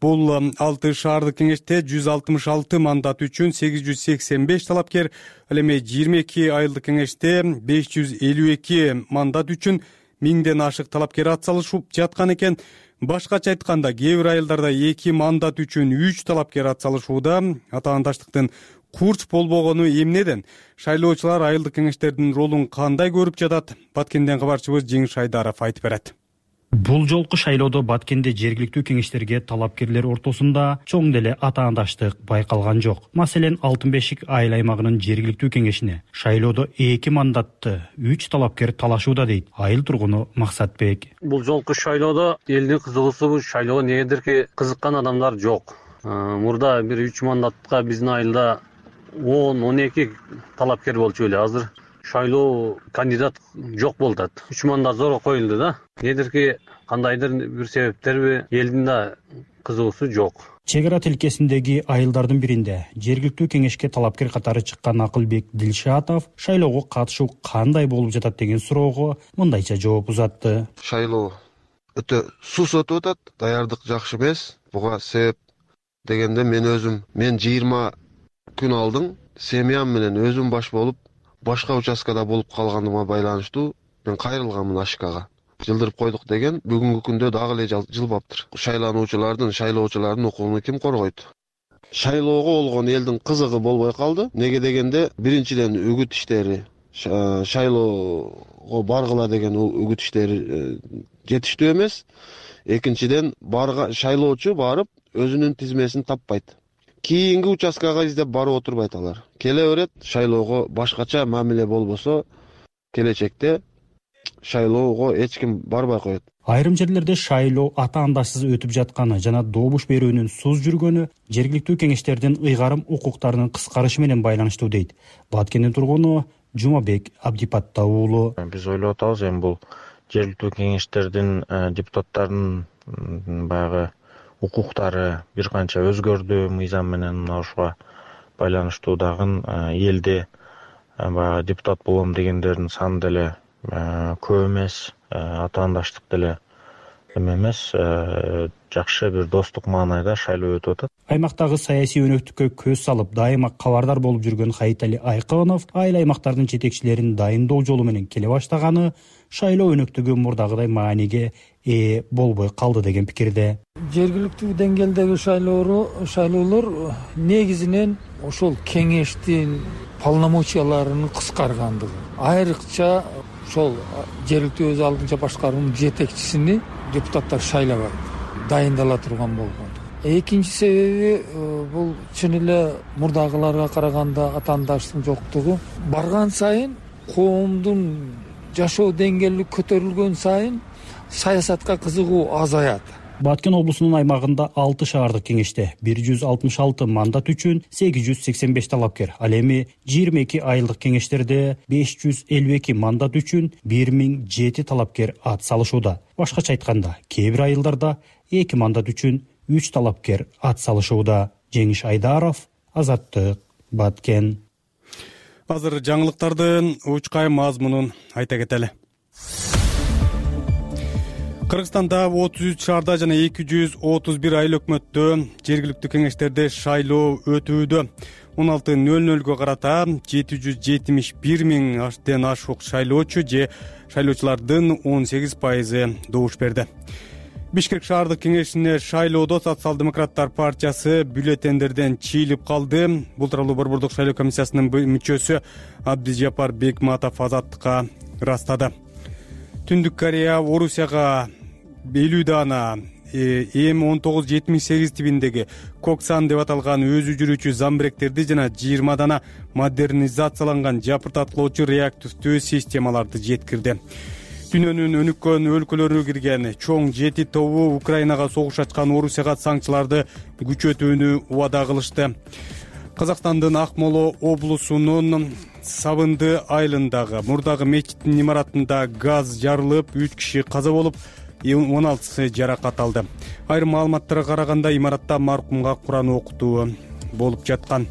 бул 6 шаардык кеңеште 166 мандат үчүн 885 талапкер, ал эми 22 айылдык кеңеште 552 мандат үчүн 1000ден ашык талапкер атсалышып жаткан экен. Башкача айтканда, кээ бир айылдарда 2 мандат үчүн 3 талапкер атсалышууда. Атаандаштыктын курч болбогону эмнеден? Шайлоочулар айылдык кеңештердин ролун кандай көрүп жатат? Баткенден кабарчыбыз Жеңиш Айдаров айтып берет. Бул жолку шайлоодо Баткенде жергиликтүү кеңештерге талапкерлер ортосунда чоң деле атаандаштык байкалган жок. Маселен, Алтын Бешик айыл аймагынын жергиликтүү кеңешине шайлоодо 2 мандатты 3 талапкер талашууда дейт айыл тургуну Максатбек. Бул жолку шайлоодо элдин кызыгуусу шайлоого негедирки кызыккан адамдар жок. Мурда бир 3 мандатка биздин айылда 10-12 талапкер болчу эле. Азыр шайлоо кандидат жок болуп атат. 3 мандат зор коюлду да. Недирки кандайдыр бир себептерби элдин да кызыгуусу жок. Чек ара тилкесиндеги айылдардын биринде жергиликтүү кеңешке талапкер катары чыккан Акылбек Дилшатов шайлоого катышуу кандай болуп жатат деген суроого мындайча жооп узатты. Шайлоо өтө сус өтүп атат, даярдык жакшы эмес. Буга себеп дегенде мен 20 күн алдың семьям менен өзүм баш болуп башка участкада болуп калганыма байланыштуу мен кайрылганмын Ашкага. Жылдырып койдук деген бүгүнкү күндө дагы эле жылбаптыр. Шайлоочулардын укугун ким коргойт? Шайлоого болгон элдин кызыгы болбой калды. Неге дегенде, биринчиден үгүт иштери, шайлоого баргыла деген үгүт иштери жетиштүү эмес. Экинчиден, шайлоочу барып өзүнүн тизмесин таппайт. Кийинки участкага издеп барып отурбайт алар. Келе берет, шайлоого башкача мамиле болбосо, келечекте шайлоого эч ким барбай коет. Айрым жерлерде шайлоо атаандашсыз өтүп жатканы жана добуш берүүнүн суз жүргөнү жергиликтүү кеңештердин ыйгарым укуктарынын кыскарышы менен байланыштуу дейт Баткендин тургуну Жумабек Абдипатта уулу. Биз ойлоп атабыз, эми бул жергиликтүү кеңештердин депутаттарынын баягы укуктары бир канча өзгөрдү мыйзам менен. Ошого байланыштуу дагы элде баягы депутат болом дегендердин саны деле көп эмес, атаандаштык деле эмес, жакшы бир достук маанайда шайлоо өтүп атат. Аймактагы саясий өнөктүккө көз салып дайыма кабардар болуп жүргөн Хайтали Айкынов айыл аймактардын жетекчилерин дайындоо жолу менен келе баштаганы шайлоо өнөктүгү мурдагыдай мааниге ээ болбой калды деген пикирде. Жергиликтүү деңгээлдеги шайлоолор негизинен ошол кеңештин полномочияларынын кыскаргандыгы. Айрыкча ошол жергиликтүү өз алдынча башкаруунун жетекчисини депутаттар шайлабайт, дайындала турган болгон. Экинчи себеби бул чын эле мурдагыларга караганда атаандаштын жоктугу. Барган сайын коомдун жашоо деңгээли көтөрүлгөн сайын саясатка кызыгуу азаят. Баткен облусунун аймагында 6 шаардык кеңеште 166 мандат үчүн 885 талапкер, ал эми 22 айылдык кеңештерде 552 мандат үчүн 1007 талапкер ат салышууда. Башкача айтканда, кээ бир айылдарда 2 мандат үчүн 3 талапкер ат салышууда. Жеңиш Айдаров, Азаттык, Баткен. Азыр жаңылыктардын учкай мазмунун айта кетели. Кыргызстанда 33 шаарда жана 231 айыл өкмөттө жергиликтүү кеңештерде шайлоо өтүүдө. 16:00 карата 771 миңден ашык шайлоочу же шайлоочулардын 18% добуш берди. Бишкек шаардык кеңешине шайлоодо Социал-демократтар партиясы бюллетендерден чыйылып калды. Бул тууралуу Борбордук шайлоо комиссиясынын мүчөсү Абдижапар Бекматов Азаттыкка ырастады. Түндүк Корея Орусияга 50 дана М1978 тибиндеги Коксан деп аталган өзү жүрүүчү замбиректерди жана 20 дана модернизацияланган жапыртаткылоочу реактивдүү системаларды жеткирди. Дүйнөнүн өнүккөн өлкөлөрү кирген чоң 7 тобу Украинага согуш ачкан Орусияга санкцияларды күчөтүүнү убада кылышты. Казакстандын Акмола облусунун Сабынды айылындагы мурдагы мечиттин имаратында газ жарылып, 3 киши каза болуп, 16 жаракат алды. Айрым маалыматтарга караганда имаратта маркумга Куран окутуу болуп жаткан.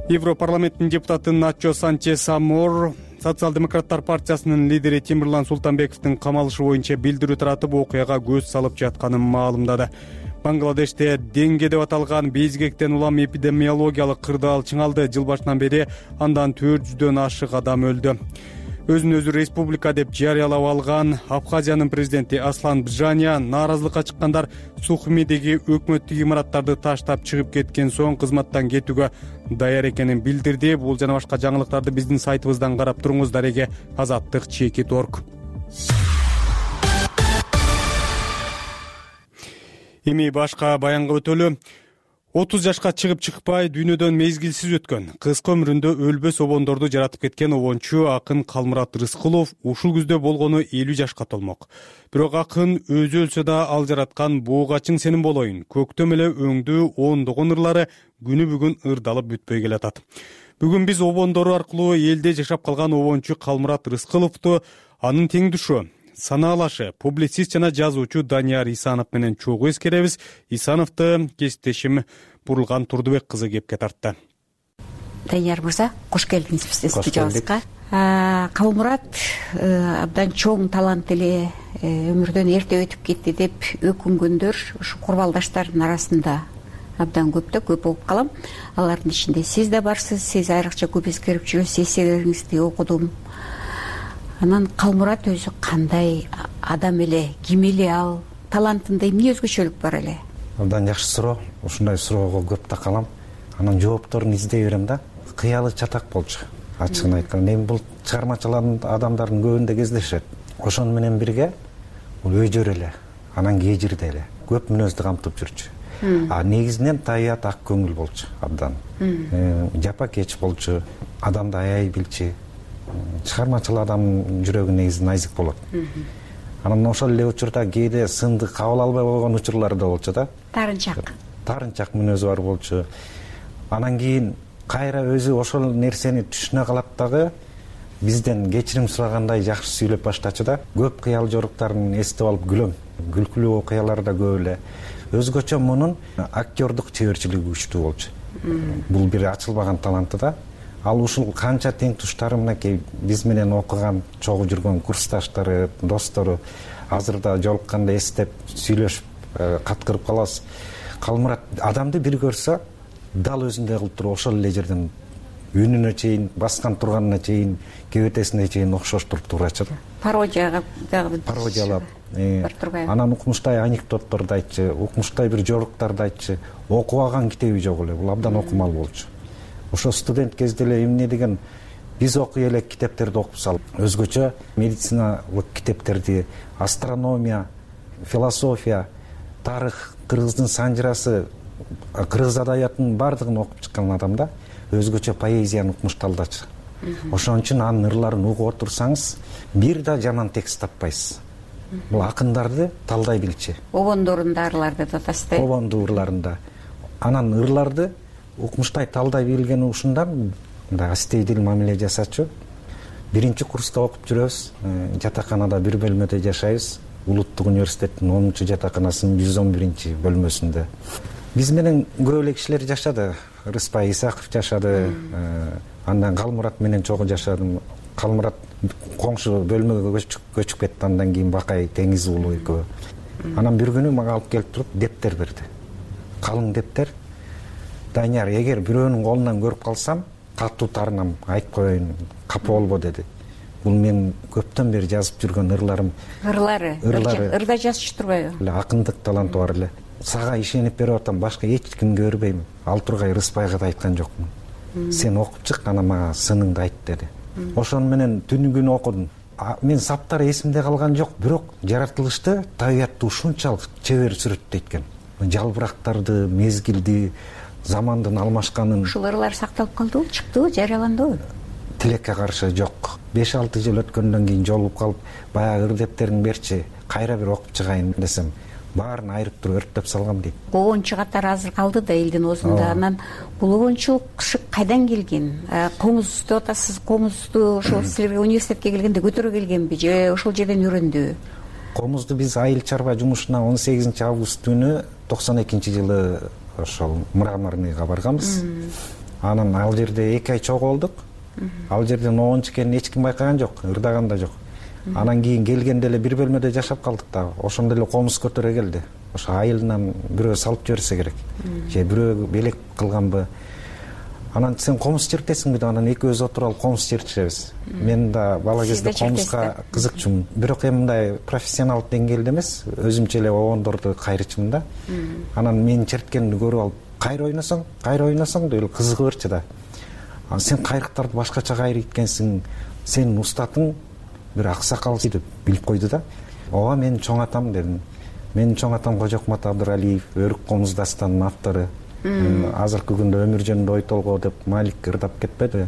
Европарламенттин депутаты Начо Санчес Амор Социал-демократтар партиясынын лидери Тимирлан Султанбековдун камалышы боюнча билдирүү таратып, окуяга көз салып жатканын маалымдады. Бангладеште денге деп аталган безгектен улам эпидемиологиялык кырдаал чыңалды. Жыл башынан бери андан 400дөн ашык адам өлдү. Өзүн өзү республика деп жарыялап алган Абхазиянын президенти Аслан Бжаня нааразылыкка чыккандар Сухумидеги өкмөттүк имараттарды таштап чыгып кеткен соң кызматтан кетүүгө даяр экенин билдирди. Бул жана башка жаңылыктарды биздин сайтыбыздан карап туруңуз. Дареге Азаттык @. Эми башка баянга өтөлү. 30 жашка чыгып чыкпай дүйнөдөн мезгилсиз өткөн, кыска өмүрүндө өлбөс обондорду жаратып кеткен обончу акын Калмурат Рыскулов ушул күздө болгону 50 жашка толмок. Бирок акын өзү өлсө да ал жараткан буга чың сенин болоюн, көктөм эле өңдүү ондогон ырлары күнү бүгүн ырдалып бүтпөй келатат. Бүгүн биз обондору аркылуу элде жашап калган обончу Калмурат Рыскуловду, анын теңдүшү, санаалашы, публицист жана жазуучу Данияр Исанов менен чогуу эскеребиз. Исановду кесиптешим Бурулган Турдубек кызы кепке тартты. Данияр мырза, кош келдиңиз биздин студиябызга. Калмурат абдан чоң талант эле, өмүрдөн эрте өтүп кетти деп өкүнгөндөр ушу курбалдаштардын арасында абдан көп болуп калам. Алардын ичинде сиз да барсыз, сиз айрыкча көп эскерип жүрөсүз, эсселериңизди окудум. Анан Калмурат өзү кандай адам эле, ким эле ал, талантында эмне өзгөчөлүк бар эле? Абдан жакшы суроо. Ушундай суроого көп такалам. Анан жоопторун издей берем да. Кыялы чатак болчу. Ачыгын айтканда, эми бул чыгармачылардын адамдардын көбүндө кездешет. Ошону менен бирге бул өйдөр эле, анан кежирде эле көп мүнөздү камтып жүрчү. Негизинен табият ак көңүл болчу абдан. Жапакеч болчу, адамды аябай билчү. Чыгармачыл адамдын жүрөгү негизи найзык болот. Анан ошол эле учурда кээде сынды кабыл албай койгон учурлар да болчу да. Тарынчак мүнөзү бар болчу. Анан кийин кайра өзү ошол нерсени түшүнө калат дагы бизден кечирим сурагандай жакшы сүйлөп баштачу да. Көп кыял жоруктарын эстеп алып күлөм. Күлкүлүү окуялар да көп эле. Өзгөчө мунун актердук чеберчилиги күчтүү болчу. Бул бир ачылбаган таланты да. Ал ушул канча тең туштары мынакей биз менен окуган, чогуу жүргөн курсташтары, достору азырда жолукканда эстеп, сүйлөшүп, каткырып калабыз. Калмурат адамды бир көрсө, дал өзүндөй кылып туруп ошол эле жерден үнүнө чейин, баскан турганына чейин, кебетесине чейин окшоштуруп турачу да. Пародиялап. Анан укмуштай анекдотторду айтчу, укмуштай бир жоруктарды айтчу. Окубаган китеби жок эле, бул абдан окумал болчу. Ошо студент кезде эле эмне деген биз окуй элек китептерди окуп салып, өзгөчө медициналык китептерди, астрономия, философия, тарых, кыргыздын санжырасы, кыргыз адабиятынын баардыгын окуп чыккан адам да, өзгөчө поэзияны укмушталдачу. Ошон үчүн анын ырларын угуп отурсаңыз, бир да жаман текст таппайсыз. Бул акындарды талдай билчү. Обондорунда ырларды татасыз. Обондуу ырларында. Анан ырларды укмуштай талдай билгени ушундан мындай астейдил мамиле жасачу. Биринчи курста окуп жүрөбүз. Жатаканада бир бөлмөдө жашайбыз. Улуттук университеттин 10-чу жатаканасынын 111-чи бөлмөсүндө. Биз менен көп эле кишилер жашады. Рыспай Исаков жашады. Андан Калмурат менен чогуу жашадым. Калмурат коңшу бөлмөгө көчүп кетти. Андан кийин Бакай Теңиз уулу экөө. Анан бир күнү мага алып келип туруп дептер берди. Калың дептер. Данияр, эгер бирөөнүн колунан көрүп калсам, катуу таарынам, айтып коеюн, капа болбо деди. Бул мен көптөн бери жазып жүргөн ырларым. Ырда жазчу турбайбы? Акындык таланты бар эле. Сага ишенип берип атам, башка эч кимге бербейм. Ал Тургай Рыспайга да айткан жокмун. Сен окуп чык, анан мага сыныңды айт деди. Ошону менен түнү күнү окудум. Мен саптары эсимде калган жок, бирок жаратылышты табиятты ушунчалык чебер сүрөттөйт экен. Жалбырактарды, мезгилди, замандын алмашканын. Ушул ырлар сакталып калдыбы, чыктыбы, жарыяландыбы? Тилекке каршы жок. 5-6 жыл өткөндөн кийин жолугуп калып, баягы ыр дептериң берчи, кайра бир окуп чыгайын десем, баарын айырып туруп өрттөп салгам дейт. Обончу катары азыр калды да элдин оозунда. Анан бул обончулук кайдан келген? Комуз деп атасыз, комузду ошол силерге университетке келгенде көтөрө келгенби же ошол жерден үйрөндүбү? Комузду биз айыл чарба жумушуна 18 август күнү 92-жылы ошол Мраморныйга барганбыз. Анан ал жерде 2 ай чогулдук. Ал жерден обончу экенин эч ким байкаган жок, ырдаган да жок. Анан кийин келгенде эле бир бөлмөдө жашап калдык да. Ошондо эле комуз көтөрө келди. Ошо айылынан бирөө салып жиберсе керек. Же бирөө белек кылганбы. Анан сен комуз чертесиңби деп, анан экөөбүз отуруп алып комуз чертишебиз. Мен да бала кезде комузга кызыкчумун. Бирок эми мындай профессионал деңгээлде эмес, өзүмчө эле обондорду кайрычумун да. Анан менин черткенимди көрүп алып, кайра ойносоң деп кызыгып берчи да. Сен кайрыктарды башкача кайрыйт экенсиң, сенин устатың бир аксакал деп билип койду да. Ооба, менин чоң атам дедим. Менин чоң атам Кожокмат Абдыралиев, Өрүк комуз дастанынын автору. Азыркы күндө өмүр жөнүндө ой толгоо деп Малик ырдап кетпеди.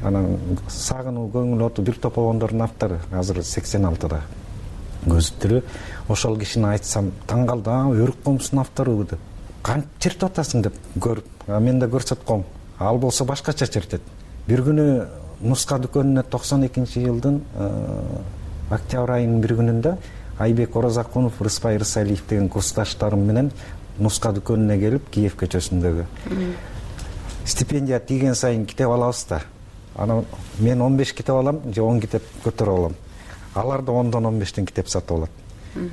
Анан Сагынуу көңүл оту бир топ обондордун автору, азыр 86-да. Көзү тирүү. Ошол кишини айтсам, таң калды, Өрүк комуздун автору деп. Кантип чертип атасың деп көрүп. Мен да көрсөткөм. Ал болсо башкача чертет. Бир күнү нуска дүкөнүнө 92-жылдын октябрь айынын бир күнүндө Айбек Оразакунов, Рыспай Рысалиев деген курсташтарым менен нуска дүкөнүнө келип, Киев көчөсүндөгү. Стипендия тийген сайын китеп алабыз да. Анан мен 15 китеп алам, же 10 китеп көтөрүп алам. Алар да 10дон 15тен китеп сатып алат.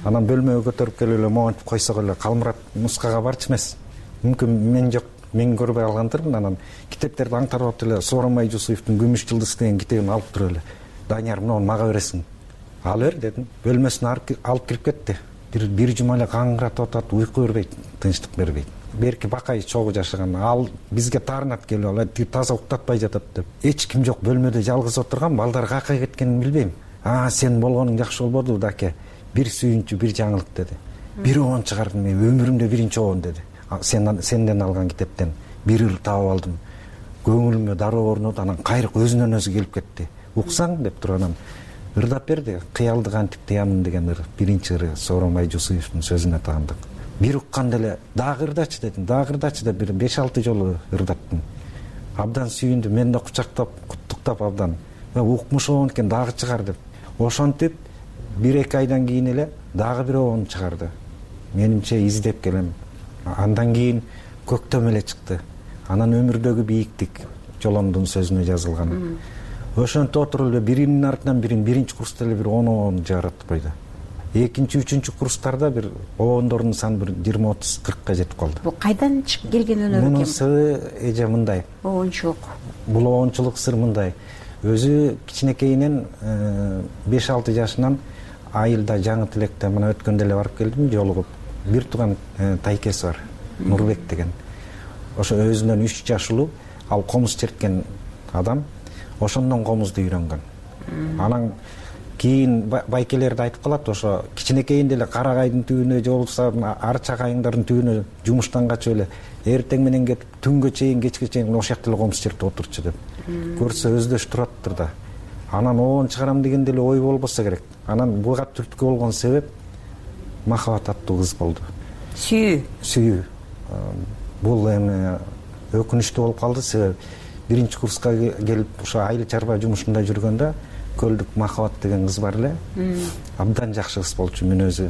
Анан бөлмөгө көтөрүп келип эле монтип койсок эле, Калмурат нускага барчы эмес. Мүмкүн мен жок, мен көрбөй алгандырмын. Анан китептерди аңтарып эле Сооронбай Жусуевдин Күмүш жылдыз деген китебин алып туруп эле. Данияр, муну мага бересиң. Ал бер дедим. Бөлмөсүнө алып кирип кетти. Бир жума эле каңгыратып атат, уйку бербейт, тынчтык бербейт. Берки Бакай чогуу жашаган. Ал бизге таарынат келип алат, таза уктатпай жатат деп. Эч ким жок, бөлмөдө жалгыз отурган, балдар кайка кеткенин билбейм. Сен болгонуң жакшы болбоду даке. Бир сүйүнчү, бир жаңылык деди. Бир обон чыгардым, мен өмүрүмдө биринчи обон деди. Сенден алган китептен бир ыр таап алдым. Көңүлүмө дароо орноду, анан кайрык өзүнөн өзү келип кетти. Уксаң деп туруп анан ырдап берди. Кыялды кантип тыямын деген ыр. Биринчи ыры Сооронбай Жусуевдин сөзүнө таандык. Бир укканда эле дагы ырдачы дедим. Дагы ырдачы деп бир 5-6 жолу ырдаттым. Абдан сүйүндү, мен да кучактап, куттуктап абдан. Укмуш обон экен, дагы чыгар деп. Ошентип 1-2 айдан кийин эле дагы бир обон чыгарды. Менимче издеп келем. Андан кийин көктөм эле чыкты. Анан өмүрдөгү бийиктик Жолондун сөзүнө жазылган. Ошентип отуруп эле биринин артынан бирин биринчи курста эле бир 10 обон жаратып койду. Экинчи, үчүнчү курстарда бир обондордун саны бир 20-30-40ка жетип калды. Бул кайдан чыгып келген өнөр экен? Мунун сыры эже мындай. Обончулук. Бул обончулук сыр мындай. Өзү кичинекейинен 5-6 жашынан айылда Жаңы Тилекте мына өткөндө эле барып келдим, жолугуп. Бир тууган тайкеси бар, Нурбек деген. Ошо өзүнөн 3 жаш улуу, ал комуз черткен адам. Ошондон комузду үйрөнгөн. Анан кийин байкелерди айтып калат, ошо кичинекейинде эле Карагайдын түбүнө же болбосо Арчак айыңдардын түбүнө жумуштан качып эле эртең менен кетип түнгө чейин, кечке чейин ошол жакта эле комуз чертип отурчу деп. Көрсө өздөш тураттыр да. Анан обон чыгарам дегенде эле ой болбосо керек. Анан буга түрткү болгон себеп Махабат аттуу кыз болду. Сүйүү. Бул эми өкүнүчтүү болуп калды, себеби биринчи курска келип ошо айыл чарба жумушунда жүргөндө Көлдүк Махабат деген кыз бар эле. Абдан жакшы кыз болчу, мен өзү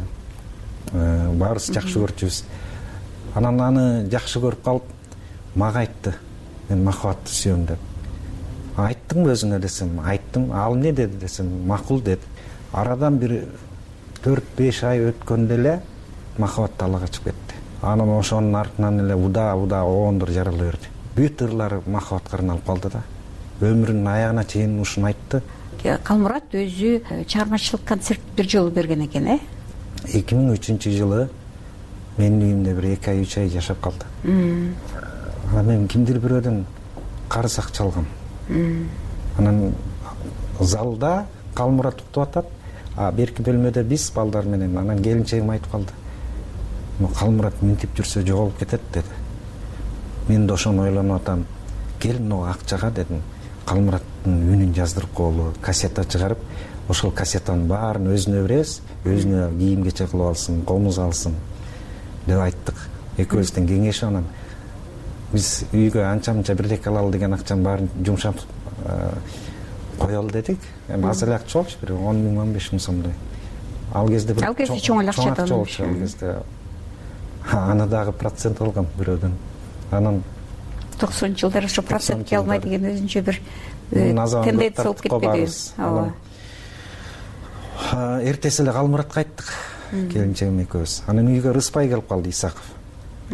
баарыбыз жакшы көрчүбүз. Анан аны жакшы көрүп калып, мага айтты, мен Махабатты сүйөм деп. айттыңбы өзүңө десем, айттым. Ал эмне деди десем, макул деди. Арадан бир 4-5 ай өткөндө эле махабат талаага чыгып кетти. Анан ошонун артынан эле удаа оондор жарала берди. Бүт ырлары махабатка арналып калды да. Өмүрүнүн аягына чейин ушуну айтты. Калмурат өзү чыгармачылык концерт бир жолу берген экен, 2003-жылы менин үйүмдө бир 2 ай 3 ай жашап калды. Анан мен кимдир бирөөдөн карыз акча алгам. Анан залда Калмурат уктуп атат, берки бөлмөдө биз балдар менен. Анан келинчегим айтып калды. Калмурат минтип жүрсө жоголуп кетет деди. Мен да ошону ойлонуп атам. Кел мына акчага дедим. Калмураттын үнүн жаздырып коелу, кассета чыгарып, ошол кассетанын баарын өзүнө беребиз, өзүнө кийим кече кылып алсын, комуз алсын деп айттык. Экөөбүздөн кеңешип анан биз үйгө анча-мынча бирдеке алалы деген акчанын баарын жумшап коелу дедик. Эми аз эле акча болчу, бир 10 миң 15 миң сомдой. Ал кезде бир чоң эле акча болчу ал кезде. Аны дагы процент алгам бирөөдөн. Анан 90-жылдары ошо процентке алмай деген өзүнчө бир тенденция болуп кетпеди. Ооба. Эртеси эле Калмуратка айттык, келинчегим экөөбүз. Анан үйгө Рыспай келип калды, Исаков.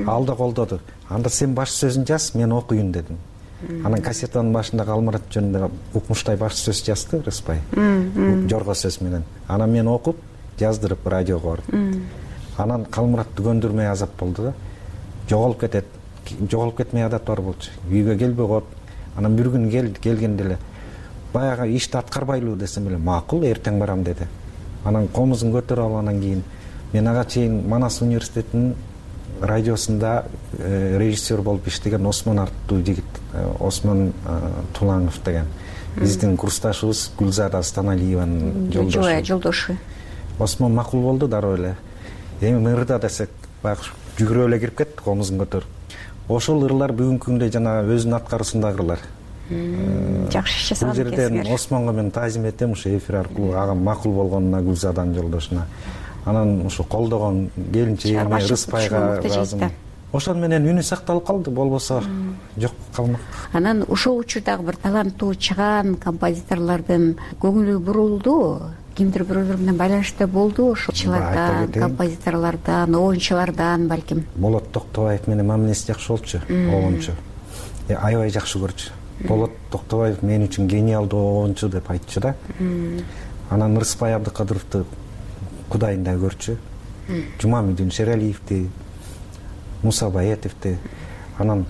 Ал да колдоду. Анда сен баш сөзүн жаз, мен окуйун дедим. Анан кассетанын башында Калмурат жөнүндө укмуштай баш сөз жазды Рыспай. Жорго сөз менен. Анан мен окуп, жаздырып радиого бардым. Анан Калмуратты көндүрмөй азап болду да. Жоголуп кетет. Жоголуп кетмей адат бар болчу. Үйгө келбей коюп, анан бир күн келгенде эле баягы ишти аткарбайлыбы десем эле, макул, эртең барам деди. Анан комузун көтөрүп алып анан кийин мен ага чейин Манас университетинин радиосунда режиссер болуп иштеген Осмон аттуу жигит, Осмон Тулаңов деген биздин курсташыбыз Гүлзада Станалиеванын жолдошу. Осмон макул болду дароо эле. Эми ырда десек, баягы жүгүрүп эле кирип кетти комузун көтөрүп. Ошол ырлар бүгүнкү күндө жана өзүнүн аткаруусундагы ырлар. Жакшы иш жасаган экенсиңер. Бул жерден Осмонго мен таазим этем, ушу эфир аркылуу ага макул болгонуна, Гүлзаданын жолдошуна. Анан ушу колдогон келинчегиме, Рыспайга ыраазымын. Ошон менен үнү сакталып калды, болбосо жок калмак. Анан ошол учурдагы бир таланттуу чыгаан композиторлордун көңүлү бурулду. Кимдир бирөөлөр менен байланышта болду, ошолчулардан, композиторлордон, оюнчулардан балким. Болот Токтобаев менен мамилеси жакшы болчу, оюнчу. Аябай жакшы көрчү. Болот Токтобаев мен үчүн гениалдуу оюнчу деп айтчу да. Анан Рыспай Абдыкадыровду кудайындай көрчү. Жумамидин Шералиевди, Муса Баетовди. Анан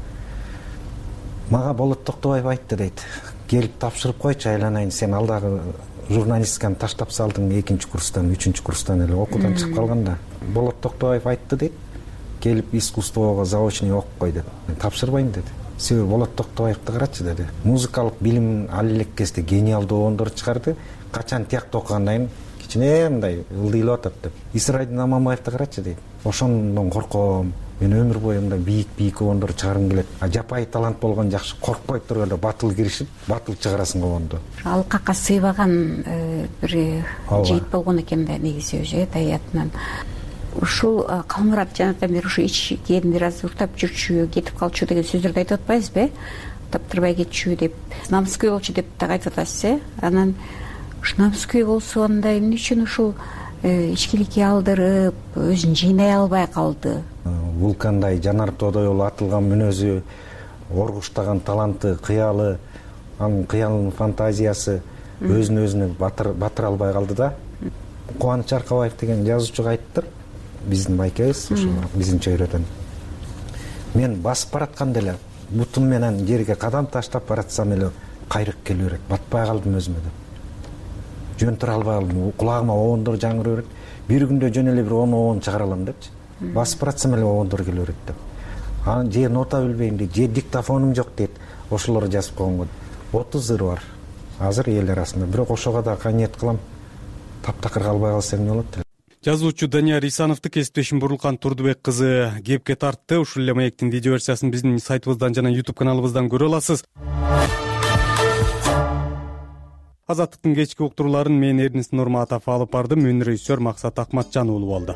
мага Болот Токтобаев айтты дейт. Келип тапшырып койчу, айланайын, сен алдагы журналистиканы таштап салдың 2-нчи курстан, 3-нчи курстан эле окуудан чыгып калганда. Болот Токтобаев айтты дейт. Келип искусствого заочный окуп кой деп. Мен тапшырбайм деди. Себеби Болот Токтобаевди карачы деди. Музыкалык билим ал элек кезде гениалдуу оюндар чыгарды. Качан тиякта окугандан кийин кичине мындай ылдыйлап атат деп. Исрайдин Аманбаевди карачы дейт. Ошондон корком. Мен өмүр бою мындай бийик оюндар чыгаргым келет. Жапай талант болгон жакшы, коркпой туруп эле батыл киришип, батыл чыгарасың оюнду. Алкакка сыйбаган бир жигит болгон экен да негизи өзү таятынан. Ушул Калмурат жанатан бери ушу ичкен бир аз уктап жүрчү, кетип калчу деген сөздөрдү айтып атпайбызбы? Таптырбай кетчү деп, намыскөй болчу деп так айтып атасыз, Анан ушу намыскөй болсо анда эмне үчүн ушул ичкиликке алдырып, өзүн жыйнай албай калды? Вулкандай жанар тоодой болуп атылган мүнөзү, оргуштаган таланты, кыялы, анын кыялынын фантазиясы өзүн батыра албай калды да. Кубаныч Аркабаев деген жазуучуга айттыр, биздин байкебиз, ушу биздин чөйрөдөн. Мен басып баратканда эле бутум менен жерге кадам таштап баратсам эле кайрык келе берет, батпай калдым өзүмө деп. Жөн тура албай калдым, кулагыма оондор жаңырып берет. Бир күндө жөн эле бир 10 оон чыгара алам депчи. Басып баратсам эле оондор келе берет деп. Анан же нота билбейм дейт, же диктофонум жок дейт. Ошолорду жазып койгонгон 30 ыр бар. Азыр эл арасында. Бирок ошого да каниет кылам. Таптакыр калбай калса эмне болот деп. Жазуучу Данияр Исановду кесиптешим Бурурлкан Турдубек кызы кепке тартты. Ушул эле маектин видео версиясын биздин сайтыбыздан жана YouTube каналыбыздан көрө аласыз. Азаттыктын кечки уктурууларын мен Эрнис Нурматов алып бардым. Мөн режиссер Максат Акматжан уулу болду.